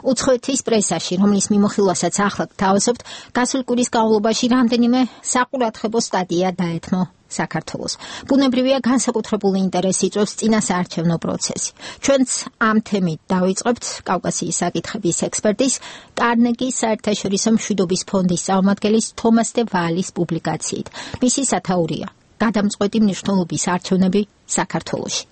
S1: უცხოეთის პრესაში, რომლის მიმოხილვასაც ახლა გთავაზობთ, გასული კვირის განმავლობაში რამდენიმე საყურადღებო სტატია დაეთმო საქართველოს. ბუნებრივია, განსაკუთრებული ინტერესი იწვევს წინასაარჩევნო პროცესი. ჩვენც ამ თემით დავიწყებთ კავკასიის საკითხების ექსპერტის, კარნეგის საერთაშორისო მშვიდობის ფონდის წარმომადგენლის თომას დე ვალის პუბლიკაციით. მისი სათაურია გადამწყვეტი მნიშვნელობის არჩევნები საქართველოში.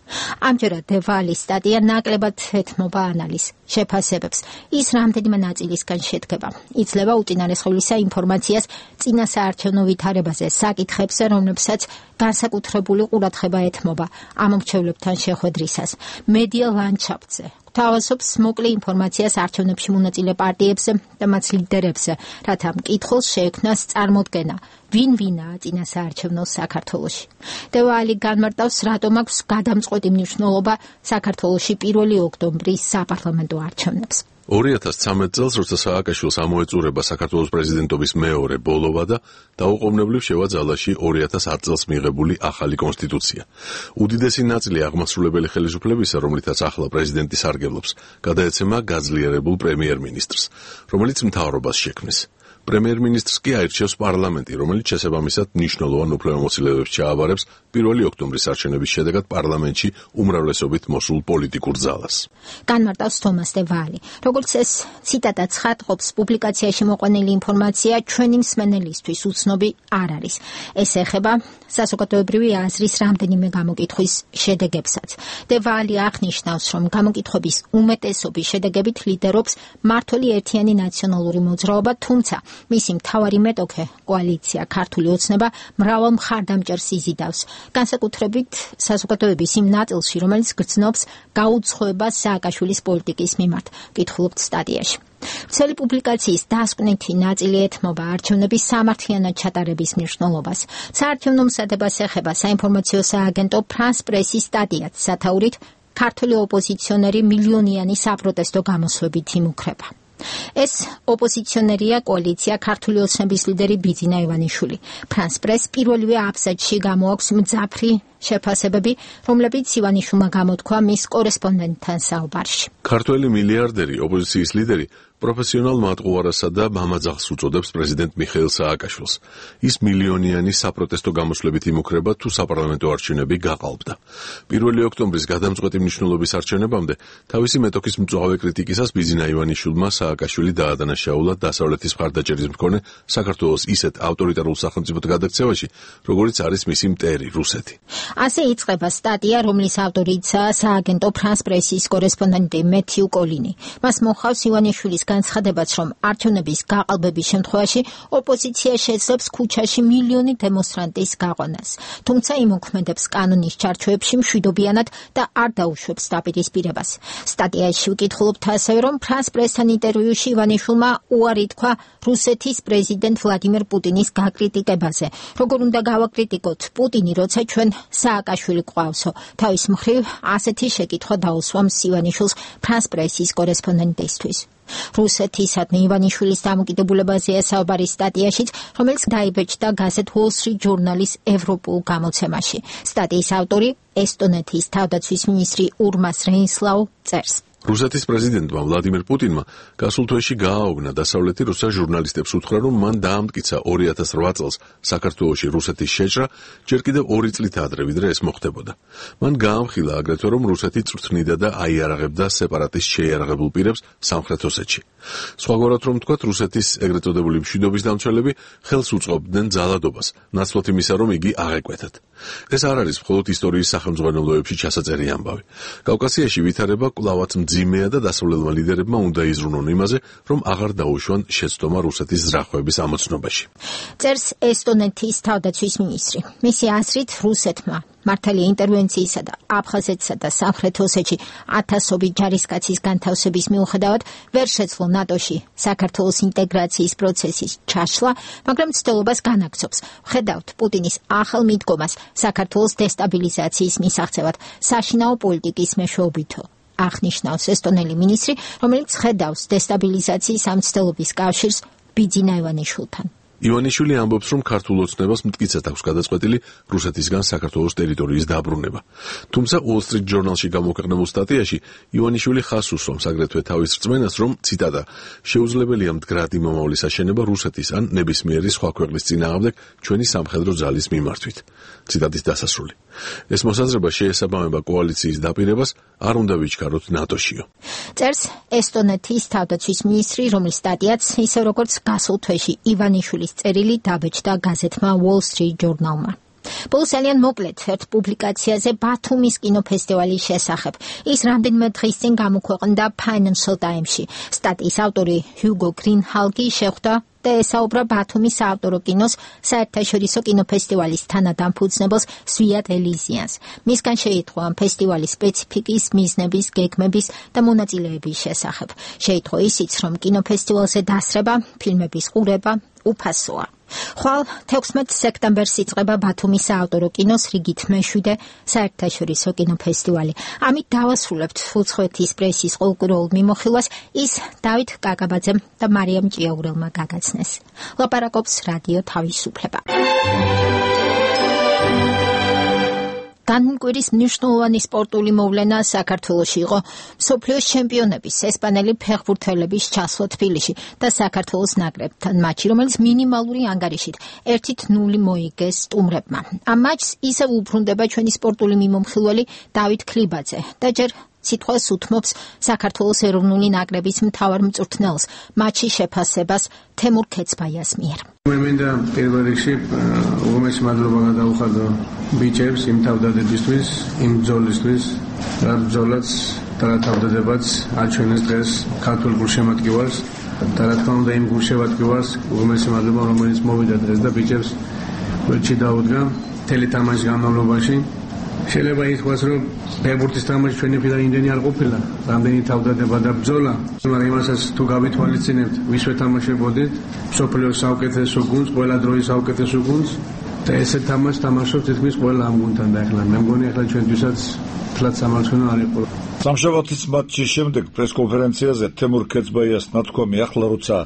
S1: ამჯერად დე ვალის სტატია ნაკლებად ეთმობა ანალიზს, შეფასებებს. ის რამდენიმე ნაწილისგან შედგება. იძლევა უწინარესხავლისა ინფორმაციას წინასაარჩევნო ვითარებაზე, საკითხებზე, რომლებსაც განსაკუთრებული ყურადღება ეთმობა ამომრჩევლებთან შეხვედრისას, მედია ლანდშაფტზე. თავაზობს მოკლე ინფორმაციას არჩევნებში მონაწილე პარტიებზე და მათ ლიდერებზე, რათა მკითხველს შეექმნას წარმოდგენა, ვინ ვინაა წინასაარჩევნო საქართველოში. დე ვალი განმარტავს, რატომ აქვს გადამწყვეტი მნიშვნელობა საქართველოში პირველი ოქტომბრის საპარლამენტო არჩევნებს.
S16: ორი ათას ცხრამეტ წელს, როცა სააკაშვილს ამოეწურება საქართველოს პრეზიდენტობის მეორე ბოლოვა და დაუყოვნებლივ შევა ძალაში ორი ათას ათ წელს მიღებული ახალი კონსტიტუცია. უდიდესი ნაწილი აღმასრულებელი ხელისუფლებისა, რომლითაც ახლა პრეზიდენტი სარგებლობს, გადაეცემა გაძლიერებულ პრემიერ-მინისტრს, რომელიც მთავრობას შექმნის. პრემიერ-მინისტრს კი აირჩევს პარლამენტი, რომელიც შესაბამისად მნიშვნელოვან უფლებამოსილებებს ჩააბარებს პირველი ოქტომბრის არჩევნების შედეგად პარლამენტში უმრავლესობით მოსულ პოლიტიკურ ძალას.
S1: განმარტავს თომას დე ვალი. როგორც ეს ციტატა ცხადყოფს, პუბლიკაციაში მოყვანილი ინფორმაცია ჩვენი მსმენელისთვის უცნობი არ არის. ეს ეხება საზოგადოებრივი აზრის რამდენიმე გამოკითხვის შედეგებსაც. დე ვალი აღნიშნავს, რომ გამოკითხვების უმეტესობის შედეგებით ლიდერობს მმართველი ერთიანი ნაციონალური მოძრაობა, თუმცა მისი მთავარი მეტოქე კოალიცია ქართული ოცნება მრავალ მხარდამჭერს იზიდავს, განსაკუთრებით საზოგადოების იმ ნაწილში, რომელიც გრძნობს გაუცხოებას სააკაშვილის პოლიტიკის მიმართ, კითხულობთ სტატიაში. ვრცელი პუბლიკაციის დასკვნითი ნაწილი ეთმობა არჩევნების სამართლიანად ჩატარების მნიშვნელობას. საარჩევნო მზადებას ეხება საინფორმაციო სააგენტო ფრანს პრესის სტატიაც სათაურით ქართული ოპოზიციონერი მილიონიანი საპროტესტო გამოსვლებით იმუქრება. ეს ოპოზიციონერია კოალიცია ქართული ოცნების ლიდერი ბიძინა ივანიშვილი. ფრანს პრეს პირველივე აბზაცში გამოაქვს მძაფრი შეფასებები, რომლებიც ივანიშვილმა გამოთქვა მის კორესპონდენტთან საუბარში.
S16: ქართველი მილიარდერი ოპოზიციის ლიდერი პროფესიონალ მატყუარასა და მამაძაღს უწოდებს პრეზიდენტ მიხეილ სააკაშვილს. ის მილიონიანი საპროტესტო გამოსვლებით იმუქრება თუ საპარლამენტო არჩევნები გაყალბდა. პირველი ოქტომბრის გადამწყვეტი მნიშვნელობის არჩევნებამდე თავისი მეტოქის მწვავე კრიტიკისას ბიძინა ივანიშვილმა სააკაშვილი დაადანაშაულა დასავლეთის მხარდაჭერის მქონე საქართველოს ისეთ ავტორიტარულ სახელმწიფოდ გადაქცევაში, როგორიც არის მისი მტერი რუსეთი.
S1: ასე იწყება სტატია, რომლის ავტორიცაა სააგენტო ფრანს პრესის კორესპონდენტი მეთიუ კოლინი. მას მოხავს ივანიშვილის განცხადებაც, რომ არჩევნების გაყალბების შემთხვევაში ოპოზიცია შეძლებს ქუჩაში მილიონი დემონსტრანტის გაყვანას. თუმცა იმოქმედებს კანონის ჩარჩოებში მშვიდობიანად და არ დაუშვებს დაპირისპირებას. სტატიაში ვკითხულობთ ასევე, რომ ფრანს პრესთან ინტერვიუში ივანიშვილმა უარი თქვა რუსეთის პრეზიდენტ ვლადიმერ პუტინის გაკრიტიკებაზე. როგორ უნდა გავაკრიტიკოთ პუტინი, როცა ჩვენ სააკაშვილი გვყავსო? თავის მხრივ ასეთი შეკითხვა დაუსვამს ივანიშვილს ფრანს პრესის კორესპონდენტისთვის. რუსეთისადმი ივანიშვილის დამოკიდებულებაზეა საუბარი სტატიაშიც, რომელიც დაიბეჭდა გაზეთ Wall Street Journal-ის ევროპულ გამოცემაში. სტატიის ავტორი ესტონეთის თავდაცვის მინისტრი ურმას რეინსლაუ წერს.
S16: რუსეთის პრეზიდენტმა ვლადიმერ პუტინმა გასულ თვეში გააოგნა დასავლეთი რუსა ჟურნალისტებს უთხრა, რომ მან დაამტკიცა ორი ათას რვა წელს საქართველოში რუსეთის შეჭრა, ჯერ კიდევ ორი წლით ადრე, ვიდრე ეს მოხდებოდა. მან გაამხილა აგრეთვე, რომ რუსეთი წვრთნიდა და აიარაღებდა სეპარატის შეიარაღებულ პირებს სამხრეთ ოსეთში. სხვაგვარად რომ ვთქვათ, რუსეთის ეგრეთ წოდებული მშვიდობის დამცველები ხელს უწყობდნენ ძალადობას, ნაცვლად იმისა, რომ იგი აღეკვეთათ. ეს არ არის მხოლოდ ისტორიის სახელმძღვანელოებში ჩასაწერი ამბავი. კავკასიაში ვითარება კვლავაც მძიმეა და დასავლელმა ლიდერებმა უნდა იზრუნონ იმაზე, რომ აღარ დაუშვან შეცდომა რუსეთის ზრახვების ამოცნობაში.
S1: წერს ესტონეთის თავდაცვის მინისტრი. მისი აზრით, რუსეთმა მართალი ინტერვენციისა და აფხაზეთსა და სამხრეთ ოსეთში ათასობით ჯარისკაცის განთავსების მიუხედავად ვერ შეძლო ნატოში საქართველოს ინტეგრაციის პროცესის ჩაშლა, მაგრამ ცდელობას განაგრძობს. ვხედავთ პუტინის ახალ მიდგომას საქართველოს დესტაბილიზაციის მისაღწევად საშინაო პოლიტიკის მეშვეობითო. აღნიშნავს ესტონელი მინისტრი, რომელიც ხედავს დესტაბილიზაციის ამ ცდელობის კავშირს ბიძინა ივანიშვილთან.
S16: ივანიშვილი ამბობს, რომ ქართულ ოცნებას მტკიცედ აქვს გადაწყვეტილი რუსეთისგან საქართველოს ტერიტორიის დაბრუნება. თუმცა Wall Street Journal-ში გამოქვეყნებულ სტატიაში ივანიშვილი ხაზს უსვამს აგრეთვე თავის რწმენას, რომ ციტატა შეუძლებელია მდგრადი მომავლის აშენება რუსეთის ან ნებისმიერი სხვა ქვეყნის წინააღმდეგ ჩვენი სამხედრო ძალის მიმართვით. ციტატის დასასრული. ეს მოსაზრება შეესაბამება კოალიციის დაპირებას, არ უნდა ვიჩქაროთ ნატოშიო.
S1: წერს ესტონეთის თავდაცვის მინისტრი, რომლის სტატიაც ისე როგორც გასულ თვეში ივანიშვილის წერილი დაბეჭდა გაზეთმა Wall Street Journal-მა. ბოლოს ძალიან მოკლედ ერთ პუბლიკაციაზე ბათუმის კინოფესტივალის შესახებ. ის რამდენიმე დღის წინ გამოქვეყნდა Financial Times-ში. სტატიის ავტორი ჰიუგო გრინჰალგი შეხვდა და ესაუბრა ბათუმის საავტორო კინოს საერთაშორისო კინოფესტივალის თანადამფუძნებელს სვიატ ელიზიანს. მისგან შეიტყვა ამ ფესტივალის სპეციფიკის, მიზნების, გეგმების და მონაწილეების შესახებ. შეიტყვა ისიც, რომ კინოფესტივალზე დასრება, ფილმების ყურება უფასოა. ხვალ თექვსმეტ სექტემბერს იწყება ბათუმის საავტორო კინოს რიგით მეშვიდე საერთაშორისო კინოფესტივალი. ამით დავასრულებთ უცხოეთის პრესის ყოველკვირეულ მიმოხილვას, ის დავით კაკაბაძემ და მარიამ ჭიაურელმა გაგაცნეს. ლაპარაკობს რადიო თავისუფლება. განმკვირის მნიშვნელოვანი სპორტული მოვლენა საქართველოში იყო მსოფლიოს ჩემპიონების ესპანელი ფეხბურთელების ჩასვლა თბილისში და საქართველოს ნაკრებთან მატჩი, რომელიც მინიმალური ანგარიშით ერთი ნული მოიგეს სტუმრებმა. ამ მატჩს ისევ უბრუნდება ჩვენი სპორტული მიმომხილველი დავით ქლიბაძე და ჯერ სიტყვას უთმობს საქართველოს ეროვნული ნაკრების მთავარ მწვრთნელს მატჩის შეფასებას თემურ ქეცბაიას მიერ.
S7: მე მინდა პირველ რიგში უღმესი მადლობა გადაუხადო ბიჭებს იმ თავდადებისთვის, იმ ბრძოლისთვის, რა ბრძოლაც და რა თავდადებაც აჩვენეს დღეს ქართულ გულშემატკივარს და რა თქმა უნდა იმ გულშევატკივარს უმეტესი მადლობა რომელიც მოვიდა დღეს და ბიჭებს ველჩი დაუდგა მთელი თამაშის განმავლობაში. შეიძლება ითქვას რომ ფეხბურთის თამაში ჩვენი პირადი იმდენი არ ყოფილა, რამდენი თავდადება და ბრძოლა, მაგრამ იმასაც თუ გავითვალისწინებთ, ვისვე თამაშებოდით, მსოფლიოს საუკეთესო გუნდს, ყველა დროის საუკეთესო გუნდს და ესე თამაშს თამაშობს თითქმის ყველა ამ გუნდთან და ახლა მე მგონი ახლა ჩვენთვისაც თლაც სამარცხინო არ იყო.
S6: სამშაბათის მატჩის შემდეგ პრესკონფერენციაზე თემურ ქეცბაიას ნათქვამი ახლა როცა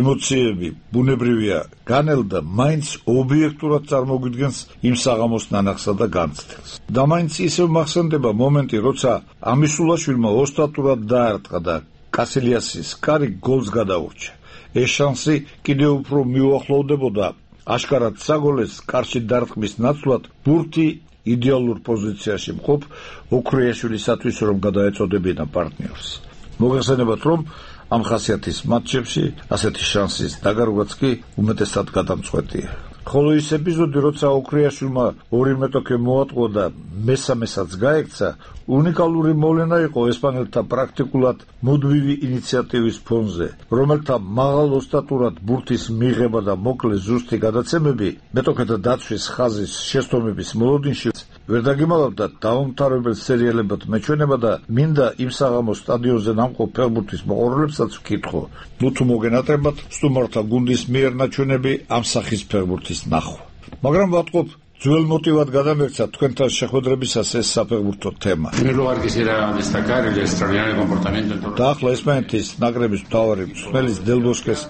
S6: ემოციები ბუნებრივია განელდა მაინც ობიექტურად წარმოგვიდგენს იმ საღამოს ნანახსა და განცდელს. და მაინც ისევ მახსენდება მომენტი როცა ამისულაშვილმა ოსტატურად დაარტყა და კასილიასის კარი გოლს გადაურჩა. ეს შანსი კიდევ უფრო მიუახლოვდებოდა აშკარად საგოლეს კარში დარტყმის ნაცვლად ბურთი იდეალურ პოზიციაში მყოფ ოქროიაშვილისათვის რომ გადაეწოდებინა პარტნიორს. მოგეხსენებათ რომ ამ ხასიათის მატჩებში ასეთი შანსის დაგარგვაც კი უმეტესად გადამწყვეტია. ხოლო ის ეპიზოდი როცა ოქროიაშვილმა ორი მეტოქე მოატყო და მესამესაც გაექცა უნიკალური მოვლენა იყო ესპანელთა პრაქტიკულად მუდმივი ინიციატივის ფონზე, რომელთა მაღალ ოსტატურად ბურთის მიღება და მოკლე ზუსტი გადაცემები მეტოქეთა დაცვის ხაზის შესწომების მოლოდინში ვერ დაგიმალავდა დაუმთავრებელ სერიალებად მეჩვენება და მინდა იმ საღამოს სტადიონზე ნამყოფ ფეხბურთის მოყვარულებსაც ვკითხო, ნუ თუ მოგენატრებათ სტუმართა გუნდის მიერ ნაჩვენები ამ სახის ფეხბურთის ნახვა. მაგრამ ვატყობ ძველ მოტივად გადამექცა თქვენთან შეხვედრებისას ეს საფეხბურთო თემა. და ახლა ესპანეთის ნაკრების მთავარი მწვრთნელის დელ ბოსკეს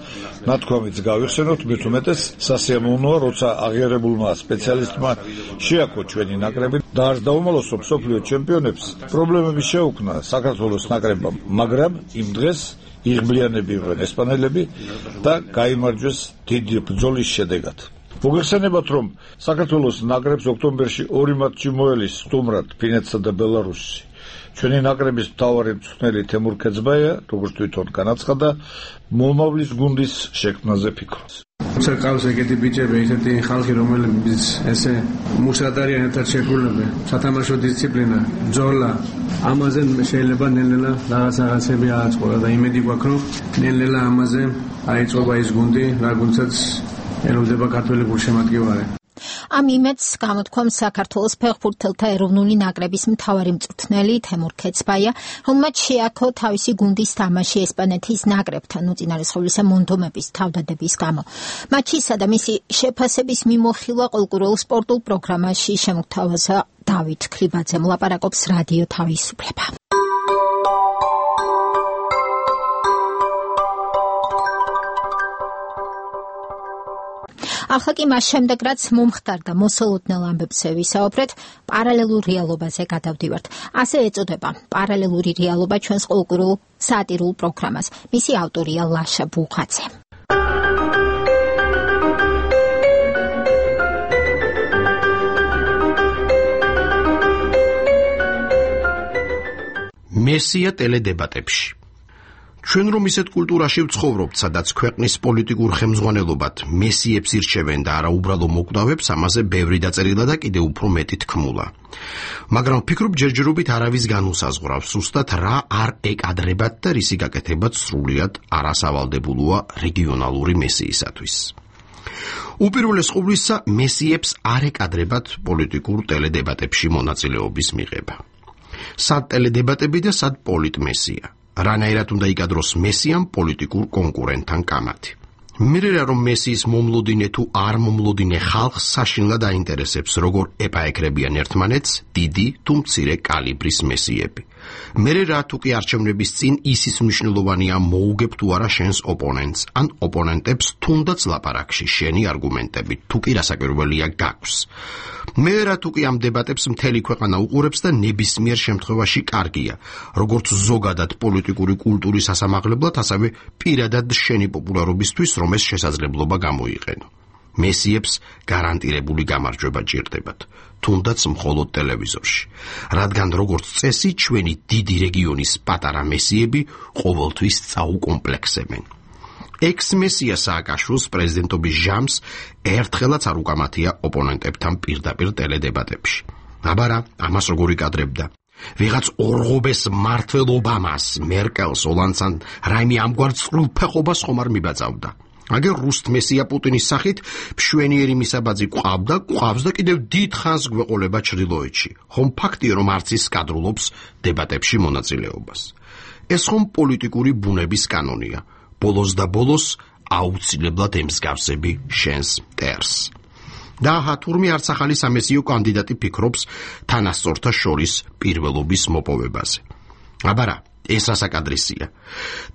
S6: ნათქვამიც გავიხსენოთ, მით უმეტეს სასიამოვნოა, როცა აღიარებულმა სპეციალისტმა შეაქო ჩვენი ნაკრები და არც დაუმალოსო მსოფლიო ჩემპიონებს პრობლემები შეუქმნა საქართველოს ნაკრებამ, მაგრამ იმ დღეს იღბლიანები იყვნენ ესპანელები და გაიმარჯვეს დიდი ბრძოლის შედეგად. მოგეხსენებათ რომ საქართველოს ნაკრებს ოქტომბერში ორი მატჩი მოელის სტუმრად ფინეთსა და ბელარუსში. ჩვენი ნაკრების მთავარი მწვრთნელი თემურ ქეცბაია, როგორც თვითონ განაცხადა, მომავლის გუნდის შექმნაზე ფიქრობს. როცა ყავს ეგეთი ბიჭები, ესეთი ხალხი, რომლებიც ესე მუშად არიან ერთად შეგრულებენ, სათამაშო დისციპლინა, ბრძოლა, ამაზე შეიძლება ნელ-ნელა რაღაც რაღაცები ააწყო და იმედი გვაქვს, რომ ნელ-ნელა ამაზე აიწყობა ის გუნდი, რა გუნდსაც ეროვდება ქართველი გულშემატკივარი.
S1: ამ იმედს გამოთქვამს საქართველოს ფეხბურთელთა ეროვნული ნაკრების მთავარი მწვრთნელი თემურ ქეცბაია, რომელმაც შეაქო თავისი გუნდის თამაში ესპანეთის ნაკრებთან უწინარესხობლისა მონდომების თავდადების გამო. მატჩისა და მისი შეფასების მიმოხილვა ყოლკურულ სპორტულ პროგრამაში შემოგთავაზა დავით ქრიბაძე, მოლაპარაკობს რადიო თავისუფლება. ახლა კი მას შემდეგ რაც მომხდარდა მოსალოდნელ ამბებზე ვისაუბრეთ, პარალელურ რეალობაზე გადავდივართ. ასე ეწოდება პარალელური რეალობა ჩვენს ყოლკურულ სატირულ პროგრამას. მისი ავტორია ლაშა ბუხაძე.
S8: მესია ტელედებატებში. ჩვენ რომ ისეთ კულტურაში ვცხოვრობთ, სადაც ქვეყნის პოლიტიკურ ხელმძღვანელობად მესიებს ირჩევენ და არა უბრალო მოკვდავებს, ამაზე ბევრი დაწერილა და კიდევ უფრო მეტი თქმულა. მაგრამ ვფიქრობ, ჯერჯერობით არავის განუსაზღვრავს, ზუსტად რა არ ეკადრებათ და რისი გაკეთებაც სრულიად არასავალდებულოა რეგიონალური მესიისათვის. უპირველეს ყოვლისა, მესიებს არ ეკადრებათ პოლიტიკურ ტელედებატებში მონაწილეობის მიღება. სად ტელედებატები და სად პოლიტმესია. რანაირად უნდა იკადროს მესიამ პოლიტიკურ კონკურენტთან კამათი. მერე რომ მესიის მომლოდინე თუ არ მომლოდინე ხალხს საშინლად აინტერესებს, როგორ ეპაეკრებიან ერთმანეთს დიდი თუ მცირე კალიბრის მესიები. მერე რა თუ კი არჩევნების წინ ისის მნიშვნელოვანია მოუგებ თუ არა შენს ოპონენტს, ან ოპონენტებს თუნდაც ლაპარაკში შენი არგუმენტებით, თუ კი რასაკვირველია გაქვს. მერე რა თუ კი ამ დებატებს მთელი ქვეყანა უყურებს და ნებისმიერ შემთხვევაში კარგია, როგორც ზოგადად პოლიტიკური კულტურის ასამაღლებლად, ასევე პირადად შენი პოპულარობისთვის, რომ ეს შესაძლებლობა გამოიყენო. მესიებს გარანტირებული გამარჯვება ჭირდებათ, თუნდაც მხოლოდ ტელევიზორში, რადგან როგორც წესი ჩვენი დიდი რეგიონის პატარა მესიები ყოველთვის წაუკომპლექსებენ. ექს-მესია სააკაშვილს პრეზიდენტობის ჟამს ერთხელაც არ უკამათია ოპონენტებთან პირდაპირ ტელედებატებში. აბარა, ამას როგორ იკადრებდა? ვიღაც ორღობეს მართლ ობამას, მერკელს, ოლანდსან რაიმე ამგვარ წყვილფეხობას ხომ არ მიბაძავდა. აგერ რუსთ მესია პუტინის სახით მშვენიერი მისაბაძი ყავდა, ყავს და კიდევ დიდ ხანს გვეყოლება ჩრდილოეთში. ხომ ფაქტია, რომ არც ის კადრულობს დებატებში მონაწილეობას. ეს ხომ პოლიტიკური ბუნების კანონია. ბოლოს და ბოლოს აუცილებლად ემსგავსები შენს მტერს. და თურმე არც ახალი სამესიო კანდიდატი ფიქრობს თანასწორთა შორის პირველობის მოპოვებაზე. აბარა, ეს რასაკადრისია.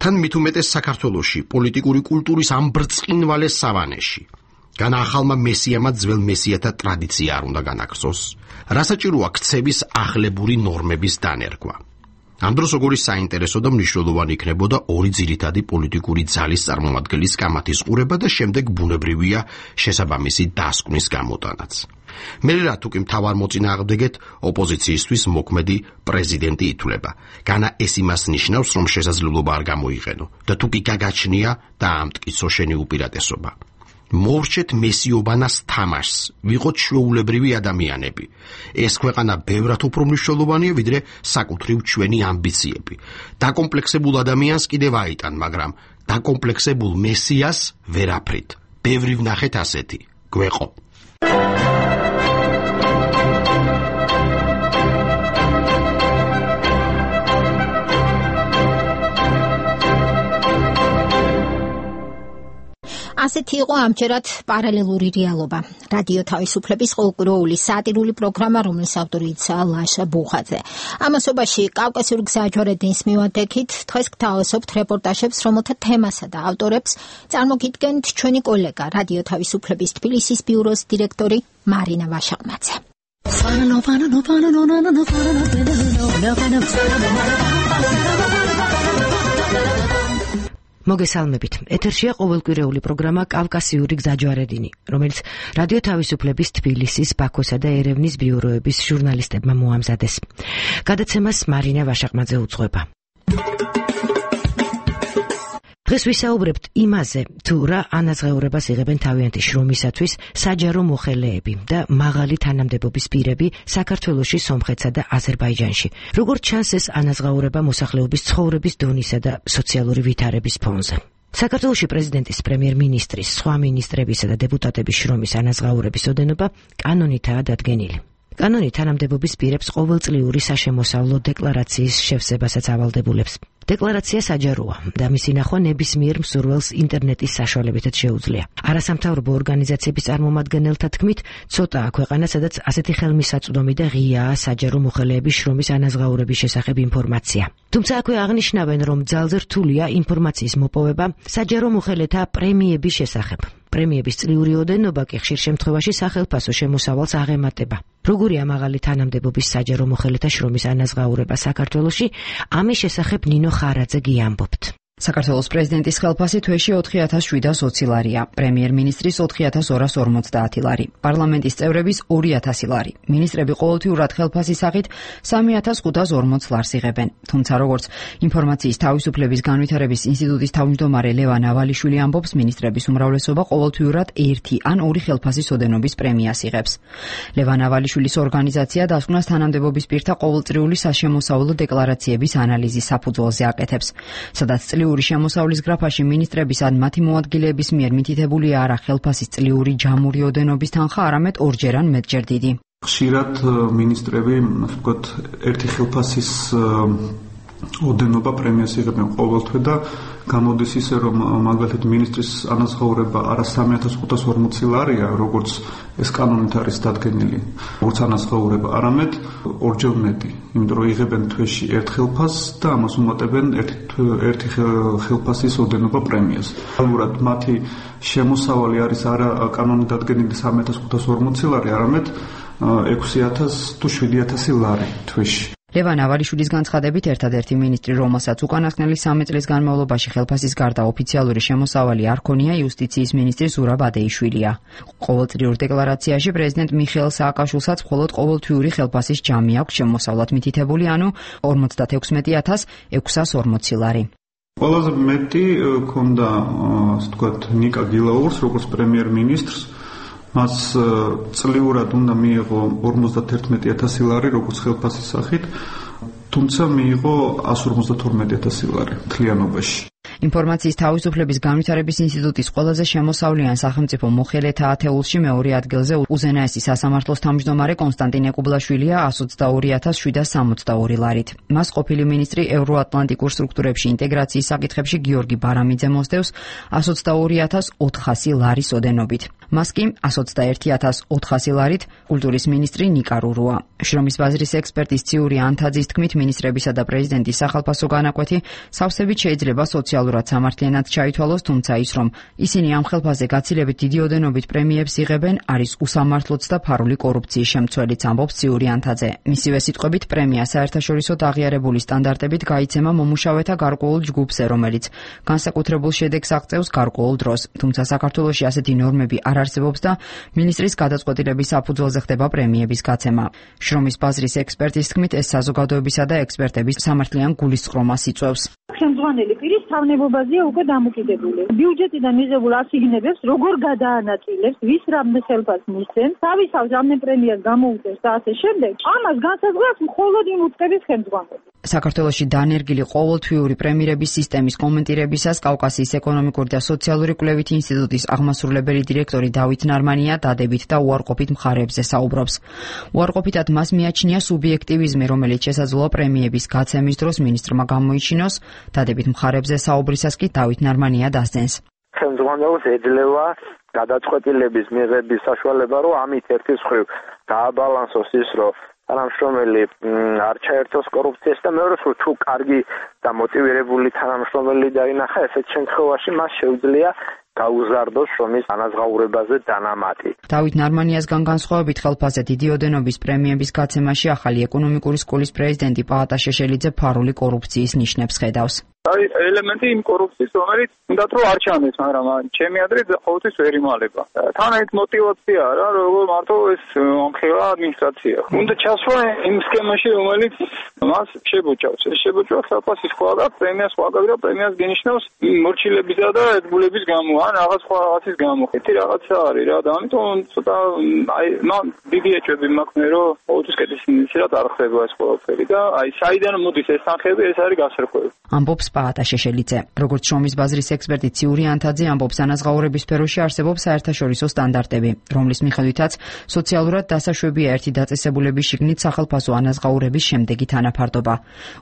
S8: თან მით უმეტეს საქართველოში პოლიტიკური კულტურის ამ ბრწყინვალე სავანეში. განა ახალმა მესიამა ძველ მესიათა ტრადიცია არ უნდა განაგრძოს. რასაჭიროა ქცევის ახლებური ნორმების დანერგვა. ამ დროს როგორი საინტერესო და მნიშვნელოვანი იქნებოდა ორი ძირითადი პოლიტიკური ძალის წარმომადგენლის კამათის ყურება და შემდეგ ბუნებრივია შესაბამისი დასკვნის გამოტანაც. მე რა თუ კი მთავარ მოწინააღმდეგეთ ოპოზიციისთვის მოქმედი პრეზიდენტი ითვლება. განა ეს იმას ნიშნავს, რომ შესაძლებლობა არ გამოიყენო და თუ კი გაგაჩნია დაამტკიცო შენი უპირატესობა. მოვრჩეთ მესიობანას თამაშს, ვიყოთ ჩვეულებრივი ადამიანები. ეს ქვეყანა ბევრად უფრო მნიშვნელოვანია, ვიდრე საკუთრივ ჩვენი ამბიციები. დაკომპლექსებულ ადამიანს კიდევ აიტან, მაგრამ დაკომპლექსებულ მესიას ვერაფრით. ბევრი ვნახეთ ასეთი. გვეყო.
S1: ასეთი იყო ამჯერად პარალელური რეალობა. რადიო თავისუფლების ყოველკვირეული სატირული პროგრამა, რომლის ავტორია ლაშა ბუხაძე. ამასობაში კავკასიური გზაჯვარედინის მივადექით დღეს გთავაზობთ რეპორტაჟებს, რომელთა თემასა და ავტორებს წარმოგიდგენთ ჩვენი კოლეგა რადიო თავისუფლების თბილისის ბიუროს დირექტორი მარინა ვაშაყმაძე.
S9: მოგესალმებით. ეთერშია ყოველკვირეული პროგრამა კავკასიური გზაჯვარედინი, რომელიც რადიო თავისუფლების თბილისის, ბაქოსა და ერევნის ბიუროების ჟურნალისტებმა მოამზადეს. გადაცემას მარინა ვაშაყმაძე უძღვება. დღეს ვისაუბრებთ იმაზე, თუ რა ანაზღაურებას იღებენ თავიანთი შრომისათვის საჯარო მოხელეები და მაღალი თანამდებობის პირები საქართველოში, სომხეთსა და აზერბაიჯანში. როგორც ჩანს, ეს ანაზღაურება მოსახლეობის ცხოვრების დონისა და სოციალური ვითარების ფონზე. საქართველოში პრეზიდენტის, პრემიერ-მინისტრის, სხვა მინისტრებისა და დეპუტატების შრომის ანაზღაურების ოდენობა კანონითაა დადგენილი. კანონი თანამდებობის პირებს ყოველწლიური საშემოსავლო დეკლარაციის შევსებასაც ავალდებულებს. დეკლარაცია საჯაროა და მისი ნახვა ნებისმიერ მსურველს ინტერნეტის საშუალებითაც შეუძლია. არასამთავრობო ორგანიზაციების წარმომადგენელთა თქმით, ცოტაა ქვეყანა, სადაც ასეთი ხელმისაწვდომი და ღიაა საჯარო მოხელეების შრომის ანაზღაურების შესახებ ინფორმაცია. თუმცა აქვე აღნიშნავენ, რომ ძალზე რთულია ინფორმაციის მოპოვება საჯარო მოხელეთა პრემიების შესახებ. პრემიების წლიური ოდენობა კი ხშირ შემთხვევაში სახელფასო შემოსავალს აღემატება. როგორია მაღალი თანამდებობის საჯარო მოხელეთა შრომის ანაზღაურება საქართველოში, ამის შესახებ ნინო ხარაძე გიამბობთ.
S10: საქართველოს პრეზიდენტის ხელფასი თვეში ოთხი ათას შვიდას ოცი ლარია, პრემიერ-მინისტრის ოთხი ათას ორას ორმოცდაათი ლარი, პარლამენტის წევრების ორი ათასი ლარი, მინისტრები ყოველთვიურად ხელფასის სახით სამი ათას ხუთას ორმოც ლარს იღებენ. თუმცა როგორც ინფორმაციის თავისუფლების განვითარების ინსტიტუტის თავმჯდომარე ლევან ავალიშვილი ამბობს, მინისტრების უმრავლესობა ყოველთვიურად ერთი ან ორი ხელფასის ოდენობის პრემიას იღებს. ლევან ავალიშვილის ორგანიზაცია დასკვნას თანამდებობის პირთა ყოველწლიური საშემოსავლო დეკლარაციების ანალიზის საფუძველზე აკეთებს, სადაც წლიური შემოსავლის გრაფაში მინისტრების ან მათი მოადგილეების მიერ მითითებულია არა ხელფასის წლიური ჯამური ოდენობის თანხა, არამედ ორჯერ ან მეტჯერ დიდი.
S22: ხშირად მინისტრები, ასე ვთქვათ, ერთი ხელფასის ოდენობა პრემიას იღებენ ყოველთვე და გამოდის ისე, რომ მაგალითად მინისტრის ანაზღაურება არა სამი ათას ხუთას ორმოცი ლარია, როგორც ეს კანონით არის დადგენილი, როგორც ანაზღაურება, არამედ ორჯერ მეტი, იმიტომ რომ იღებენ თვეში ერთ ხელფასს და ამას უმატებენ ერთი ერთი ხელფასის ოდენობა პრემიას. რეალურად მათი შემოსავალი არის არა კანონით დადგენილი სამი ათას ხუთას ორმოცი ლარი, არამედ ექვსი ათას თუ შვიდი ათასი ლარი თვეში.
S10: ლევან ავალიშვილის განცხადებით, ერთადერთი მინისტრი, რომელსაც უკანასკნელი სამი წლის განმავლობაში ხელფასის გარდა ოფიციალური შემოსავალი არ ქონია, იუსტიციის მინისტრი ზურაბ ადეიშვილია. ყოველწლიურ დეკლარაციაში პრეზიდენტ მიხეილ სააკაშვილსაც მხოლოდ ყოველთვიური ხელფასის ჯამი აქვს შემოსავლად მითითებული, ანუ ორმოცდაექვსმეტი ათას ექვსას ორმოცი ლარი.
S22: ყველაზე მეტი ქონდა, ასე ვთქვათ, ნიკა გილაურს, როგორც პრემიერ-მინისტრს, მას წლიურად უნდა მიიღო ორმოცდათერთმეტი ათასი ლარი როგორც ხელფასის სახით, თუმცა მიიღო εκατს ორმოცდათორმეტი ათასი ლარი მთლიანობაში.
S10: ინფორმაციის თავისუფლების განვითარების ინსტიტუტის ყველაზე შემოსავლიან სახელმწიფო მოხელეთა ათეულში მეორე ადგილზე უზენაესი სასამართლოს თავმჯდომარე კონსტანტინე კუბლაშვილია εκατს ოცდაორი ათას შვიდას სამოცდაორი ლარით. მას ყოფილი მინისტრი ევროატლანტიკურ სტრუქტურებში ინტეგრაციის საკითხებში გიორგი ბარამიძე მოსდევს εκατს ოცდაორი ათას ოთხასი ლარის ოდენობით. მას კი εκατს ოცდაერთი ათას ოთხასი ლარით კულტურის მინისტრი ნიკა რურუა. შრომის ბაზრის ექსპერტის ციური ანთაძის თქმით, მინისტრებისა და პრეზიდენტის სახალხო განაკვეთი სავსებით შეიძლება სოციალურად სამართლიანად ჩაითვალოს, თუმცა ის, რომ ისინი ამ ხელფასზე გაცილებით დიდი ოდენობით პრემიებს იღებენ, არის უსამართლოც და ფარული კორუფციის შემცველიც, ამბობს ციური ანთაძე. მისივე სიტყვებით, პრემია საერთაშორისოდ აღიარებული სტანდარტებით გაიცემა მომუშავეთა გარკვეულ ჯგუფზე, რომელიც განსაკუთრებულ შედეგს აღწევს გარკვეულ დროს. თუმცა საქართველოში ასეთი ნორმები არ არსებობს და მინისტრის გადაწყვეტილების საფუძველზე ხდება პრემიების გაცემა. შრომის ბაზრის ექსპერტის თქმით, ეს საზოგადოებისა და ექსპერტების სამართლიან გულისწყრომას იწვევს.
S11: ხელმძღვანელი პირის თავნებობაზეა უკვე დამოკიდებული. ბიუჯეტიდან მიღებულ ასიგნებებს როგორ გადაანაწილებს, ვის რამდენ ხელფასს მისცემს, თავისავს რამდენ პრემიას გამოუწევს და ასე შემდეგ. ამას განსაზღვრავს მხოლოდ იმ უწყების ხელმძღვანელი.
S10: საქართველოში დანერგილი ყოველთვიური პრემირების სისტემის კომენტირებისას კავკასიის ეკონომიკური და სოციალური კვლევითი ინსტიტუტის აღმასრულებელი დირექტორი დავით ნარმანია დადებით და უარყოფით მხარეებზე საუბრობს. უარყოფითად მას მიაჩნია სუბიექტივიზმი, რომელიც შესაძლოა პრემიების გაცემის დროს მინისტრმა გამოიჩინოს. დადებით მხარეებზე საუბრისას კი დავით ნარმანია დასძენს.
S12: ხელმძღვანელს ეძლევა გადაწყვეტილების მიღების საშუალება, რომ ამით ერთის მხრივ დააბალანსოს ის, რომ თანამშრომელი არ ჩაერთოს კორუფციას და მეორე მხრივ თუ კარგი და მოტივირებული თანამშრომელი დაინახა, ესეთ შემთხვევაში მას შეუძლია გაუზარდოს შრომის ანაზღაურებაზე დანამატი.
S10: დავით ნარმანიასგან განსხვავებით ხელფასზე დიდი ოდენობის პრემიების გაცემაში ახალი ეკონომიკური სკოლის პრეზიდენტი პაატა შეშელიძე ფარული კორუფციის ნიშნებს ხედავს.
S13: არის ელემენტი იმ კორუფციის, რომელიც უნდათ რომ არ ჩანდეს, მაგრამ ჩემი აზრით ყოველთვის ვერ იმალება. თან ერთ მოტივაცია რა, როგორ მარტო ეს ამხელა ადმინისტრაცია. უნდა ჩასვა იმ სქემაში, რომელიც მას შებოჭავს. ეს შებოჭვა ხელფასის სხვა და პრემიას სხვა და პრემიას გენიშნავს მორჩილებისა და ერთგულების გამო, ან რაღაც სხვა რაღაცის გამო. ერთი რაღაცა არის რა და ამიტომ ცოტა აი მან დიდი ეჭვები მაქვს, რომ ყოველთვის კეთის ინიციატივა არ ხდება ეს ყველაფერი და აი საიდან მოდის ეს თანხები, ეს არის გასარკვევი.
S10: ამბობს პაატა შეშელიძე. როგორც შრომის ბაზრის ექსპერტი ციური ანთაძე ამბობს, ანაზღაურების სფეროში არსებობს საერთაშორისო სტანდარტები, რომლის მიხედვითაც სოციალურად დასაშვებია ერთი დაწესებულების შიგნით სახელფასო ანაზღაურების შემდეგი თანაფარდობა.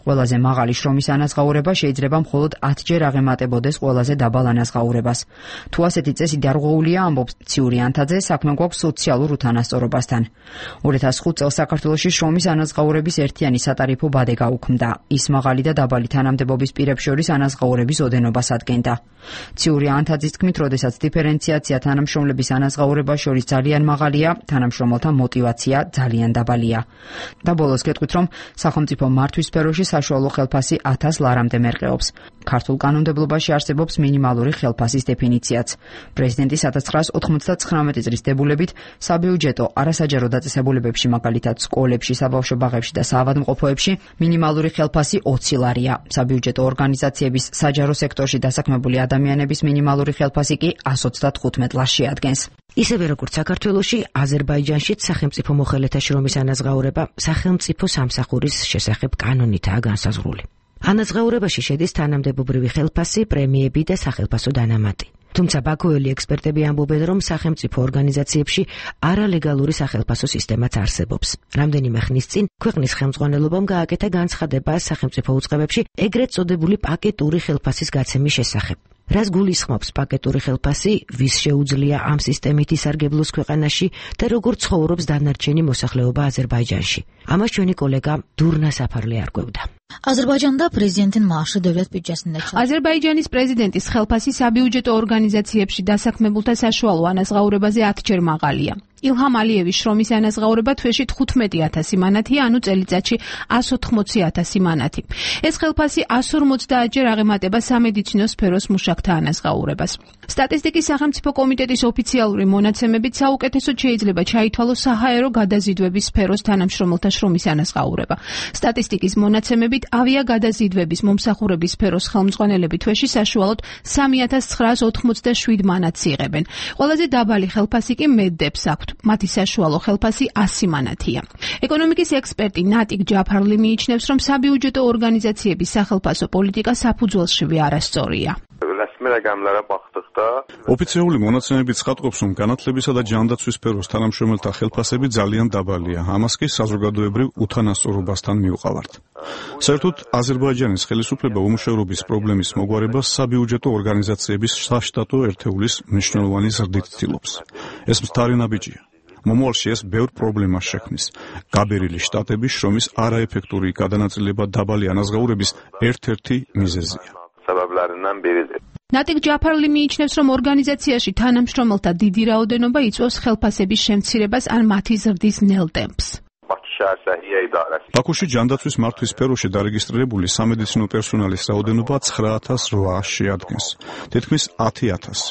S10: ყველაზე მაღალი შრომის ანაზღაურება შეიძლება მხოლოდ ათჯერ აღემატებოდეს ყველაზე დაბალ ანაზღაურებას. თუ ასეთი წესი დარღვეულია, ამბობს ციური ანთაძე, საქმე გვაქვს სოციალურ უთანასწორობასთან. ორი ათას ხუთ წელს საქართველოში შრომის ანაზღაურების ერთიანი სატარიფო ბადე გაუქმდა. ის მაღალი და დაბალი თანამდებობის პირებს შორის ანაზღაურების ოდენობას ადგენდა. ციური ანთაძის თქმით, როდესაც დიფერენციაცია თანამშრომლების ანაზღაურებას შორის ძალიან მაღალია, თანამშრომელთა мотиваცია ძალიან დაბალია. და ბოლოს გეტყვით, რომ სახელმწიფო მართვის სფეროში საშუალო ხელფასი ათას ლარამდე მერყეობს. ქართულ კანონმდებლობაში არსებობს მინიმალური ხელფასის დეფინიციაც. პრეზიდენტის ათას ცხრაას ოთხმოცდათცხრამეტი წლის დებულებით საბიუჯეტო არასაჯარო დაწესებულებებში, მაგალითად სკოლებში, საბავშვო ბაღებში და საავადმყოფოებში მინიმალური ხელფასი ოცი ლარია. საბიუჯეტო ორგანიზაციების საჯარო სექტორში დასაქმებული ადამიანების მინიმალური ხელფასი კი εκατს ოცდათხუთმეტ ლარს შეადგენს.
S9: ისევე როგორც საქართველოში, აზერბაიჯანშიც სახელმწიფო მოხელეთა შრომის ანაზღაურება სახელმწიფო სამსახურის შესახებ კანონითაა განსაზღვრული. ანაზღაურებაში შედის თანამდებობრივი ხელფასი, პრემიები და სახელფასო დანამატი. თუმცა ბაქოელი ექსპერტები ამბობენ, რომ სახელმწიფო ორგანიზაციებში არალეგალური სახელფასო სისტემაც არსებობს. რამდენიმე ხნის წინ ქვეყნის ხელმძღვანელობამ გააკეთა განცხადება სახელმწიფო უწყებებში ეგრეთ წოდებული პაკეტური ხელფასის გაცემის შესახებ. რას გულისხმობს პაკეტური ხელფასი, ვის შეუძლია ამ სისტემით ისარგებლოს ქვეყანაში და როგორ ცხოვრობს დანარჩენი მოსახლეობა აზერბაიჯანში. ამას ჩვენი კოლეგა დურნა საფარლე არკვევდა.
S14: Azərbaycanda prezidentin maaşı dövlət büdcəsində çıxır.
S25: Azərbaycanis prezidentis ხელფასი საბიუჯეტო ორგანიზაციებში დასაქმებულთა საშუალო ანაზღაურებაზე ათჯერ მაღალია.
S15: ილჰამ ალიევის შრომის ანაზღაურება თვეში თხუთმეტი ათასი მანათია, ანუ წელიწადში εκατს ოთხმოცი ათასი მანათი. ეს ხელფასი εκατს ორმოცდაათჯერ აღემატება სამედიცინო სფეროს მუშაკთა ანაზღაურებას. სტატისტიკის სახელმწიფო კომიტეტის ოფიციალური მონაცემებით საუკეთესოდ შეიძლება ჩაითვალოს საჰაერო გადაზიდვების სფეროს თანამშრომელთა შრომის ანაზღაურება. სტატისტიკის მონაცემებით ავიაგადაზიდვების მომსახურების სფეროს ხელმძღვანელები თვეში საშუალოდ სამი ათას ცხრაას ოთხმოცდაშვიდ მანათს იღებენ. ყველაზე დაბალი ხელფასი კი მედდებს აქვთ. მათი საშუალო ხელფასი ასი მანათია. ეკონომიკის ექსპერტი ნატიკ ჯაფარლი მიიჩნევს, რომ საბიუჯეტო ორგანიზაციების სახელფასო პოლიტიკა საფუძველშივე არასწორია.
S18: ოფიციალური მონაცემები ცხადყოფს, რომ განათლებისა და ჯანდაცვის სფეროს თანამშრომელთა ხელფასები ძალიან დაბალია. ამას კი საზოგადოებრივ უთანასწორობასთან მიუყავართ. საერთოდ აზერბაიჯანის ხელისუფლება უმუშევრობის პრობლემის მოგვარებას საბიუჯეტო ორგანიზაციების საშტატო ერთეულის მნიშვნელოვანი ზრდით ცდილობს. ეს მცდარი ნაბიჯია. მომავალში ეს ბევრ პრობლემას შექმნის. გაბერილი შტატების შრომის არაეფექტური გადანაწილება დაბალი ანაზღაურების ერთ-ერთი მიზეზია.
S15: ნატიკ ჯაფარლი მიიჩნევს, რომ ორგანიზაციაში თანამშრომელთა დიდი რაოდენობა იწვევს ხელფასების შემცირებას ან მათი ზრდის ნელ ტემპს.
S18: ბაქოში ჯანდაცვის მართვის სფეროში დარეგისტრირებული სამედიცინო პერსონალის რაოდენობა ცხრა ათას რვაას შეადგენს, თითქმის ათი ათასი.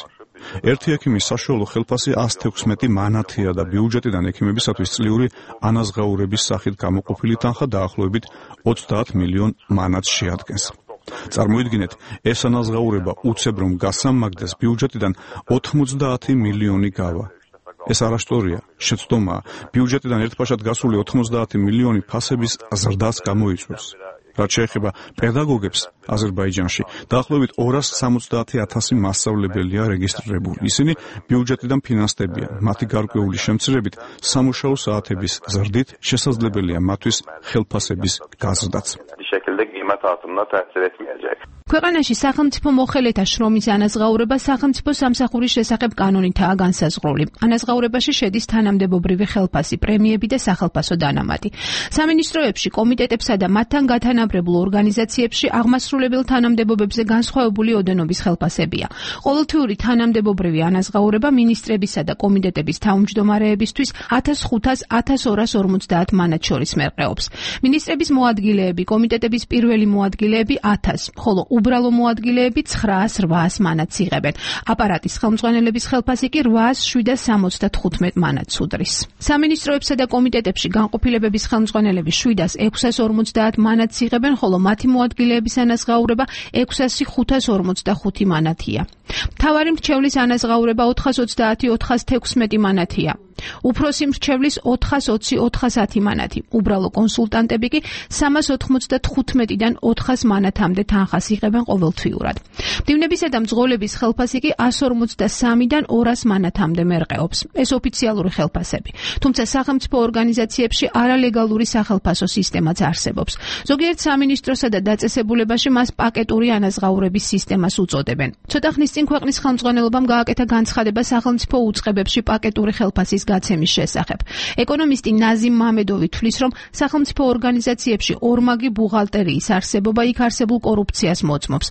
S18: ერთი ექიმის საშუალო ხელფასი εκατს თექვსმეტი მანათია და ბიუჯეტიდან ექიმებისათვის წლიური ანაზღაურების სახით გამოყოფილი თანხა დაახლოებით ოცდაათ მილიონ მანათს შეადგენს. წარმოიდგინეთ, ეს ანაზღაურება უცებ რომ გასამაგდეს ბიუჯეტიდან ოთხმოცდაათი მილიონი გავა. ეს არასწორია, შეცდომაა. ბიუჯეტიდან ერთბაშად გასული ოთხმოცდაათი მილიონი ფასების ზრდას გამოიწვევს. რაც შეეხება პედაგოგებს აზერბაიჯანში, დაახლოებით ორას სამოცდაათი ათასი მასწავლებელია რეგისტრირებული. ისინი ბიუჯეტიდან ფინანსდებიან. მათი გარკვეული შემცირებით სამუშაო საათების ზრდით შესაძლებელია მათთვის ხელფასების გაზრდაც.
S15: ქვეყანაში სახელმწიფო მოხელეთა შრომის ანაზღაურება სახელმწიფო სამსახურის შესახებ კანონითაა განსაზღვრული. ანაზღაურებაში შედის თანამდებობრივი ხელფასი, პრემიები და სახელფასო დანამატი. სამინისტროებში, კომიტეტებსა და მათთან გათანაბრებულ ორგანიზაციებში აღმასრულებელ თანამდებობებზე განსხვავებული ოდენობის ხელფასებია. ყოველთვიური თანამდებობრივი ანაზღაურება მინისტრებისა და კომიტეტების თავმჯდომარეებისთვის ათას ხუთას ათას ორას ორმოცდაათ მანათს შორის მერყეობს. მინისტრების მოადგილეები, კომიტეტების პირველი მოადგილეები ათას, ხოლო უბრალო მოადგილეები ცხრაას რვაას მანათს იღებენ. აპარატის ხელმძღვანელების ხელფასი კი რვაას შვიდას სამოცდათხუთმეტ მანათს უდრის. სამინისტროებსა და კომიტეტებში განყოფილებების ხელმძღვანელები შვიდას ექვსას ორმოცდაათ მანათს იღებენ, ხოლო მათი მოადგილეების ანაზღაურება ექვსასი ხუთას ორმოცდახუთი მანათია. მთავარი მრჩევლის ანაზღაურება ოთხას ოცდაათი ოთხას თექვსმეტი მანათია. უფროსი მრჩევლის ოთხას ოცი ოთხას ათი მანათი. უბრალო კონსულტანტები კი სამას ოთხმოცდათხუთმეტიდან ოთხას მანათამდე თანხას იღებენ ყოველთვიურად. მდივნებისა და მძღოლების ხელფასი კი εκατს ორმოცდასამიდან ორას მანათამდე მერყეობს. ეს ოფიციალური ხელფასები. თუმცა სახელმწიფო ორგანიზაციებში არალეგალური სახელფასო სისტემაც არსებობს. ზოგიერთ სამინისტროსა და დაწესებულებაში მას პაკეტური ანაზღაურების სისტემას უწოდებენ. ცოტა ხნის წინ ქვეყნის ხელმძღვანელობამ გააკეთა განცხადება სახელმწიფო უწყებებში პაკეტური ხელფასის გაცემის შესახებ. ეკონომისტი ნაზიმ მამედოვი თვლის, რომ სახელმწიფო ორგანიზაციებში ორმაგი ბუღალტერიის არსებობა იქ არსებულ კორუფციას მოწმობს.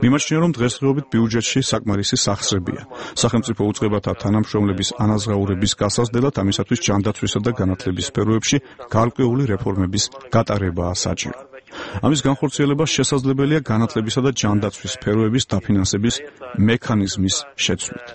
S18: მიმაჩნია, რომ დღესდღეობით ბიუჯეტში საკმარისი სახსრებია. სახელმწიფო უწყებათა თანამშრომლების ანაზღაურების გასაზრდელად ამისათვის ჯანდაცვისა და განათლების სფეროებში გარკვეული რეფორმების გატარებაა საჭირო. ამის განხორციელება შესაძლებელია განათლებისა და ჯანდაცვის სფეროების დაფინანსების მექანიზმის შეცვლით.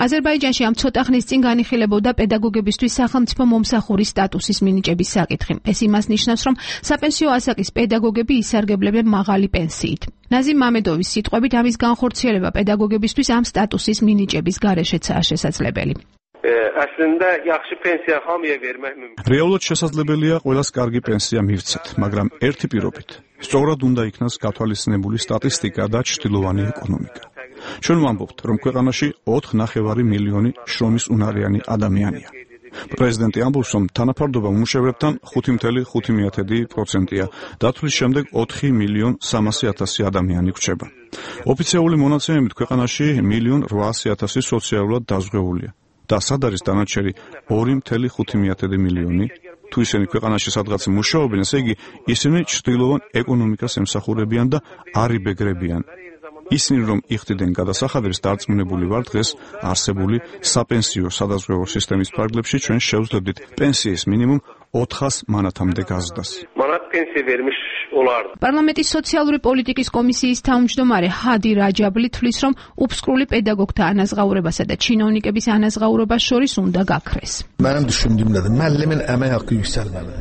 S15: აზერბაიჯანში ამ ცოტა ხნის წინ განიხილებოდა პედაგოგებისთვის სახელმწიფო მომსახურის სტატუსის მინიჭების საკითხი. ეს იმას ნიშნავს, რომ საპენსიო ასაკის პედაგოგები ისარგებლებენ მაღალი პენსიით. ნაზიმ მამედოვის სიტყვებით, ამის განხორციელება პედაგოგებისთვის ამ სტატუსის მინიჭების გარეშეცაა შესაძლებელი.
S18: რეალურად შესაძლებელია ყველას კარგი პენსია მივცეთ, მაგრამ ერთი პირობით. სწორად უნდა იქნას გათვალისწინებული სტატისტიკა და ჩრდილოვანი ეკონომიკა. ჩვენ ვამბობთ, რომ ქვეყანაში ოთხ ნახევარი მილიონი შრომის უნარიანი ადამიანია. პრეზიდენტი ამბობს, რომ თანაფარდობა მუშევრებთან ხუთი ათეული პროცენტია, დათვლის შემდეგ ოთხი მილიონ სამასი ათასი ადამიანი გვჭება. ოფიციალური მონაცემებით ქვეყანაში მილიონ რვაასი ათასი სოციალურად დაზღვეულია და სად არის დანარჩენი ორი ათეული ხუთი მილიონი? თუ ისინი ქვეყანაში სადღაც მუშაობენ, ესე იგი ისინი ჩრდილოვან ეკონომიკას ემსახურებიან და არ იბეგრებიან. ისინი რომ იხდიდნენ გადასახადებს, დარწმუნებული ვარ დღეს არსებული საპენსიო სადაზღვევო სისტემის ფარგლებში ჩვენ შევძლებდით პენსიის მინიმუმ ოთხას მანათამდე გაზრდას.
S15: პარლამენტის სოციალური პოლიტიკის კომისიის თავმჯდომარე ჰადი რაჯაბლი თვლის, რომ უფსკრული პედაგოგთა ანაზღაურებასა და ჩინოვნიკების ანაზღაურებას შორის უნდა გაქრეს.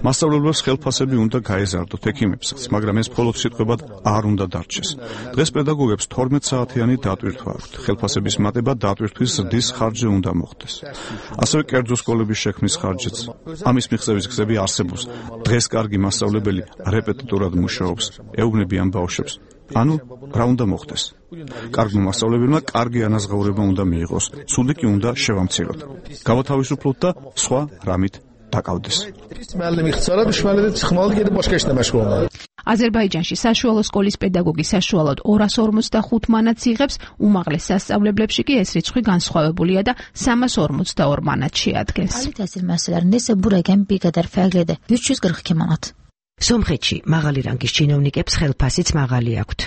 S18: მასწავლებლებს ხელფასები უნდა გაეზარდოთ, ექიმებსაც, მაგრამ ეს მხოლოდ სიტყვებად არ უნდა დარჩეს. დღეს პედაგოგებს თორმეტ საათიანი დატვირთვა აქვთ. ხელფასების მატება დატვირთვის ზრდის ხარჯზე უნდა მოხდეს. ასევე კერძო სკოლების შექმნის ხარჯიც. ამის მიღწევის გზები არსებობს. დღეს კარგი მასწავლებელი რეპეტიტორად მუშაობს, ეუბნებიან ბავშვებს. ანუ რა უნდა მოხდეს? კარგმა მასწავლებელმა კარგი ანაზღაურება უნდა მიიღოს, ცუდი კი უნდა შევამციროთ. გავათავისუფლოთ და სხვა რამით დაკავდეს.
S15: აზერბაიჯანში საშუალო სკოლის პედაგოგი საშუალოდ ორას ორმოცდახუთ მანატს იღებს, უმაღლეს სასწავლებლებში კი ეს რიცხვი განსხვავებულია და სამას ორმოცდაორ მანატს შეადგენს.
S9: სომხეთში მაღალი რანგის ჩინოვნიკებს ხელფასიც მაღალი აქვთ.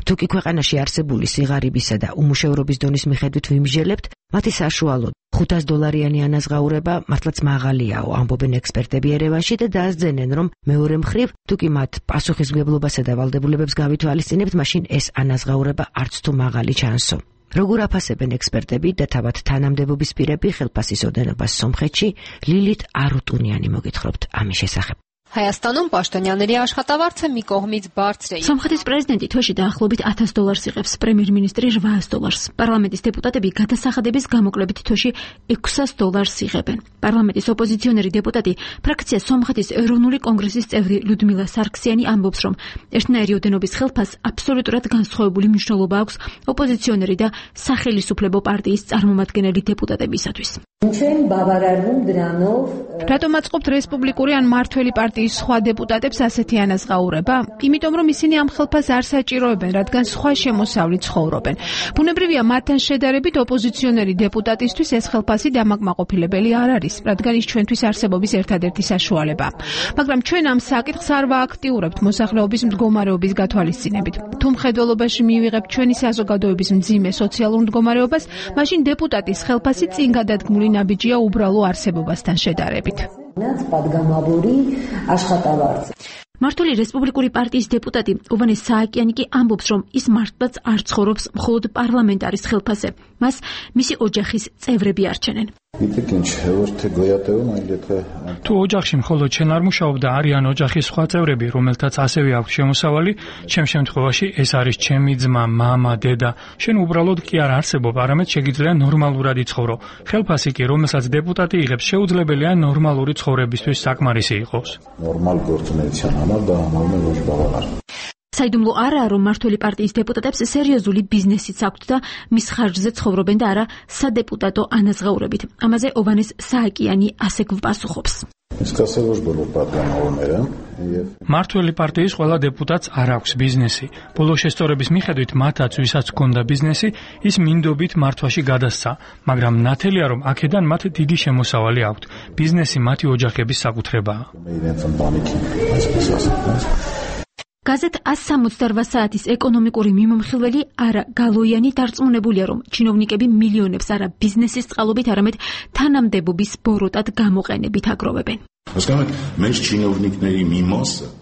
S9: თუ კი ქვეყანაში არსებული სიღარიბისა და უმუშევრობის დონის მიხედვით ვიმსჯელებთ, მათი საშუალოდ ხუთას დოლარიანი ანაზღაურება მართლაც მაღალიაო, ამბობენ ექსპერტები ერევანში და დაასძენენ, რომ მეორე მხრივ, თუ კი მათ პასუხისმგებლობასა და ვალდებულებებს გავითვალისწინებთ, მაშინ ეს ანაზღაურება არც თუ მაღალი ჩანსო. როგორ აფასებენ ექსპერტები და თავად თანამდებობის პირები ხელფასის ოდენობას სომხეთში, ლილით არუტუნიანი მოგითხრობთ ამის შესახებ.
S17: Հայաստանում պաշտոնյաների աշխատավարձը մի կողմից բարձր է.
S14: Սոմխეთის პრეზიდენტი თვეში დაახლოებით ათას դոլարს იღებს, პრემიერ-მინისტრი ութას դոլարს. პარლამენტის დეპუტატები გადასახადების გამოკლებით თვეში ექვსას დოლარს იღებენ. პარლამენტის ოპოზიციონერი დეპუტატი, ფრაქცია სომხეთის ეროვნული კონგრესის წევრი ლუდმილა სარქსიანი ამბობს, რომ ერთნაირი ოდენობის ხელფასს აბსოლუტურად განსხვავებული მნიშვნელობა აქვს ოპოზიციონერი და სახელისუფლებო პარტიის წარმომადგენელი დეპუტატებისათვის.
S15: რატომ აწყობთ რესპუბლიკური ან მართველი პარტიის სხვა დეპუტატებს ასეთი ანაზღაურება? იმიტომ რომ ისინი ამ ხელფასს არ საჭიროებენ, რადგან სხვა შემოსავლით ცხოვრობენ. ბუნებრივია, მათთან შედარებით ოპოზიციონერი დეპუტატისთვის ეს ხელფასი დამაკმაყოფილებელი არ არის, რადგან ის ჩვენთვის არსებობის ერთადერთი საშუალებაა. მაგრამ ჩვენ ამ საკითხს არ ვააქტიურებთ მოსახლეობის მდგომარეობის გათვალისწინებით. თუ მხედველობაში მივიღებთ ჩვენი საზოგადოების მძიმე სოციალურ მდგომარეობას, მაშინ დეპუტატის ხელფასი წინ გადადგმული ნაბიჯია უბრალო არსებობასთან შედარებით.
S14: მართული რესპუბლიკური პარტიის დეპუტატი ოვანე სააკიანი კი ამბობს, რომ ის მართლაც არ ცხოვრობს მხოლოდ პარლამენტარის ხელფასზე. მას მისი ოჯახის წევრები არჩენენ.
S5: თუ ოჯახში მხოლოდ შენ არ მუშაობდა, არიან ოჯახის სხვა წევრები, რომელთაც ასევე აქვს შემოსავალი, ჩემ შემთხვევაში ეს არის ჩემი ძმა, მამა, დედა. შენ უბრალოდ კი არ არსებობ, არამედ შეგიძლია ნორმალურად იცხოვრო. ხელფასი კი, რომელსაც დეპუტატი იღებს, შეუძლებელია ნორმალური ცხოვრებისთვის საკმარისი იყოს.
S14: საიდუმლო არაა, რომ მართველი პარტიის დეპუტატებს სერიოზული ბიზნესიც აქვთ და მის ხარჯზე ცხოვრობენ და არა სადეპუტატო ანაზღაურებით. ამაზე ოვანეს სააკიანი ასე გვპასუხობს.
S5: მართველი პარტიის ყველა დეპუტატს არ აქვს ბიზნესი. ბოლო შესწორების მიხედვით მათაც, ვისაც ჰქონდა ბიზნესი, ის მინდობით მართვაში გადასცა, მაგრამ ნათელია, რომ აქედან მათ დიდი შემოსავალი აქვთ. ბიზნესი მათი ოჯახების საკუთრებაა.
S14: გაზეთ ას სამოცდაორ საათის ეკონომიკური მიმომხილველი არა გალოიანი დარწმუნებულია, რომ ჩინოვნიკები მილიონებს არა ბიზნესის წყალობით, არამედ თანამდებობის ბოროტად გამოყენებით აგროვებენ.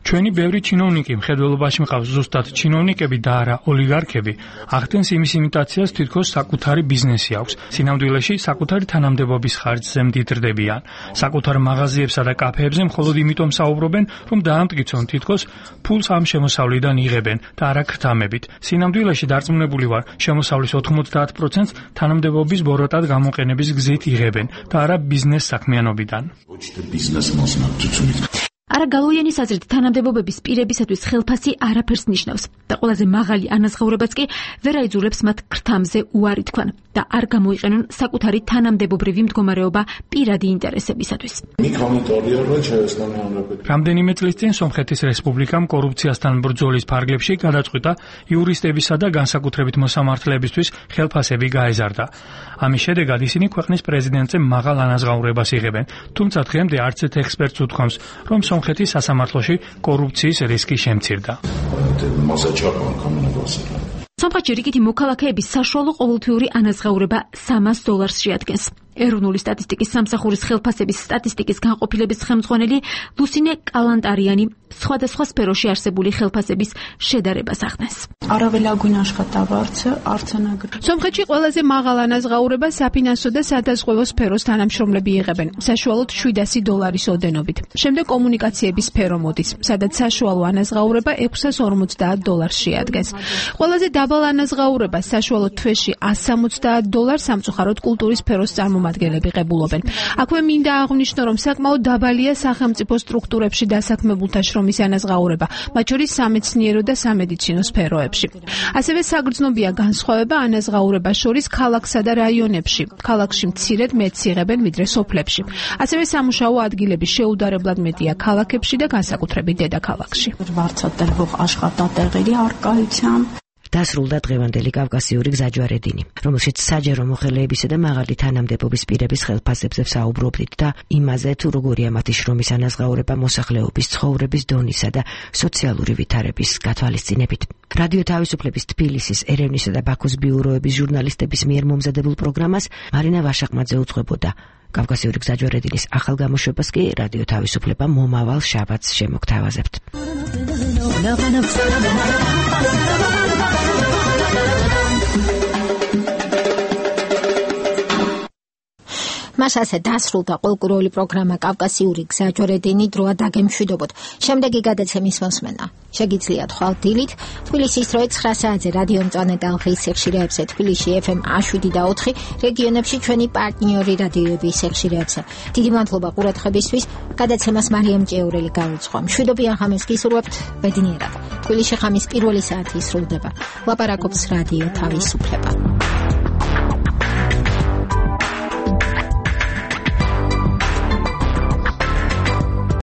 S5: ჩვენი ბევრი ჩინოვნიკი მხედველობაში მყავს, ზუსტად ჩინოვნიკები და არა ოლიგარქები. ახდენს იმის იმიტაციას, თითქოს საკუთარი ბიზნესი აქვს. სინამდვილეში საკუთარი თანამდებობის ხარჯზე მდიდრდებიან. საკუთარ მაღაზიებსა და კაფეებზე მხოლოდ იმიტომ საუბრობენ, რომ დაამტკიცონ, თითქოს ფულს ამ შემოსავლიდან იღებენ და არა ქრთამებით. სინამდვილეში დარწმუნებული ვარ, შემოსავლის ოთხმოცდაათ პროცენტს თანამდებობის ბოროტად გამოყენების გზით იღებენ და არა ბიზნეს საქმიანობიდან.
S14: არა გალოიანის აზრით, თანამდებობების პირებისათვის ხელფასი არაფერს ნიშნავს და ყველაზე მაღალი ანაზღაურებაც კი ვერ აიძულებს მათ ქრთამზე უარი თქვან და არ გამოიყენონ საკუთარი თანამდებობრივი მდგომარეობა პირადი ინტერესებისათვის.
S5: რამდენიმე წლის წინ სომხეთის რესპუბლიკამ კორუფციასთან ბრძოლის ფარგლებში გადაწყვიტა იურისტებისა და განსაკუთრებით მოსამართლეებისთვის ხელფასები გაეზარდა. ამის შედეგად ისინი ქვეყნის პრეზიდენტზე მაღალ ანაზღაურებას იღებენ, თუმცა დღემდე არც ერთ ექსპერტს უთქვამს, რომ სომხეთის სასამართლოში კორუფციის რისკი შემცირდა.
S14: სომხეთში რიგითი მოქალაქეების საშუალო ყოველთვიური ანაზღაურება სამას დოლარს შეადგენს. ეროვნული სტატისტიკის სამსახურის ხელფასების სტატისტიკის განყოფილების ხელმძღვანელი ლუსინე კალანტარიანი სხვადასხვა სფეროში არსებული ხელფასების შედარებას ახდენს.
S15: სომხეთში ყველაზე მაღალ ანაზღაურებას საფინანსო და სადაზღვევო სფეროს თანამშრომლები იღებენ, საშუალოდ შვიდასი დოლარის ოდენობით. შემდეგ კომუნიკაციების სფერო მოდის, სადაც საშუალო ანაზღაურება ექვსას ორმოცდაათ დოლარს შეადგენს. ყველაზე დაბალ ანაზღაურებას საშუალოდ თვეში ასს სამოცდაათ დოლარს სამწუხაროდ კულტურის სფეროს წარმომადგენლები ღებულობენ. აქვე მინდა აღვნიშნო, რომ საკმაოდ დაბალია სახელმწიფო სტრუქტურებში დასაქმებულთა შრომის ანაზღაურება, მათ შორის სამეცნიერო და სამედიცინო სფეროებში. ასევე საგრძნობია განსხვავება ანაზღაურებას შორის ქალაქსა და რაიონებში. ქალაქში მცირედ მეტს იღებენ ვიდრე სოფლებში. ასევე სამუშაო ადგილების შეუდარებლად მეტია ქალაქებში და განსაკუთრებით დედაქალაქში.
S9: დასრულდა დღევანდელი კავკასიური გზაჯვარედინი, რომელშიც საჯარო მოხელეებისა და მაღალი თანამდებობის პირების ხელფასებზე ვსაუბრობდით და იმაზე, თუ როგორია მათი შრომის ანაზღაურება მოსახლეობის ცხოვრების დონისა და სოციალური ვითარების გათვალისწინებით. რადიო თავისუფლების თბილისის, ერევნისა და ბაქოს ბიუროების ჟურნალისტების მიერ მომზადებულ პროგრამას მარინა ვაშაყმაძე უძღვებოდა. კავკასიური გზაჯვარედინის ახალ გამოშვებას კი რადიო თავისუფლება მომავალ შაბათს შემოგთავაზებთ.
S1: მას ასე დასრულდა ყოველკვირეული პროგრამა კავკასიური გზაჯვარედინი, დროა დაგემშვიდობოთ. შემდეგი გადაცემის მოსმენა შეგიძლიათ ხვალ დილით თბილისის დროით ცხრა საათზე რადიო მწვანე ტალღის სიხშირეებზე, თბილისში ეფ ემ შვიდ და ოთხი, რეგიონებში ჩვენი პარტნიორი რადიოების სიხშირეებზე. დიდი მადლობა ყურადღებისთვის. გადაცემას მარიამ ჭეურელი გაუძღვა. მშვიდობიან ღამეს გისურვებთ. ბედნიერად. თბილისში ღამის პირველი საათი სრულდება. ლაპარაკობს რადიო თავისუფლება.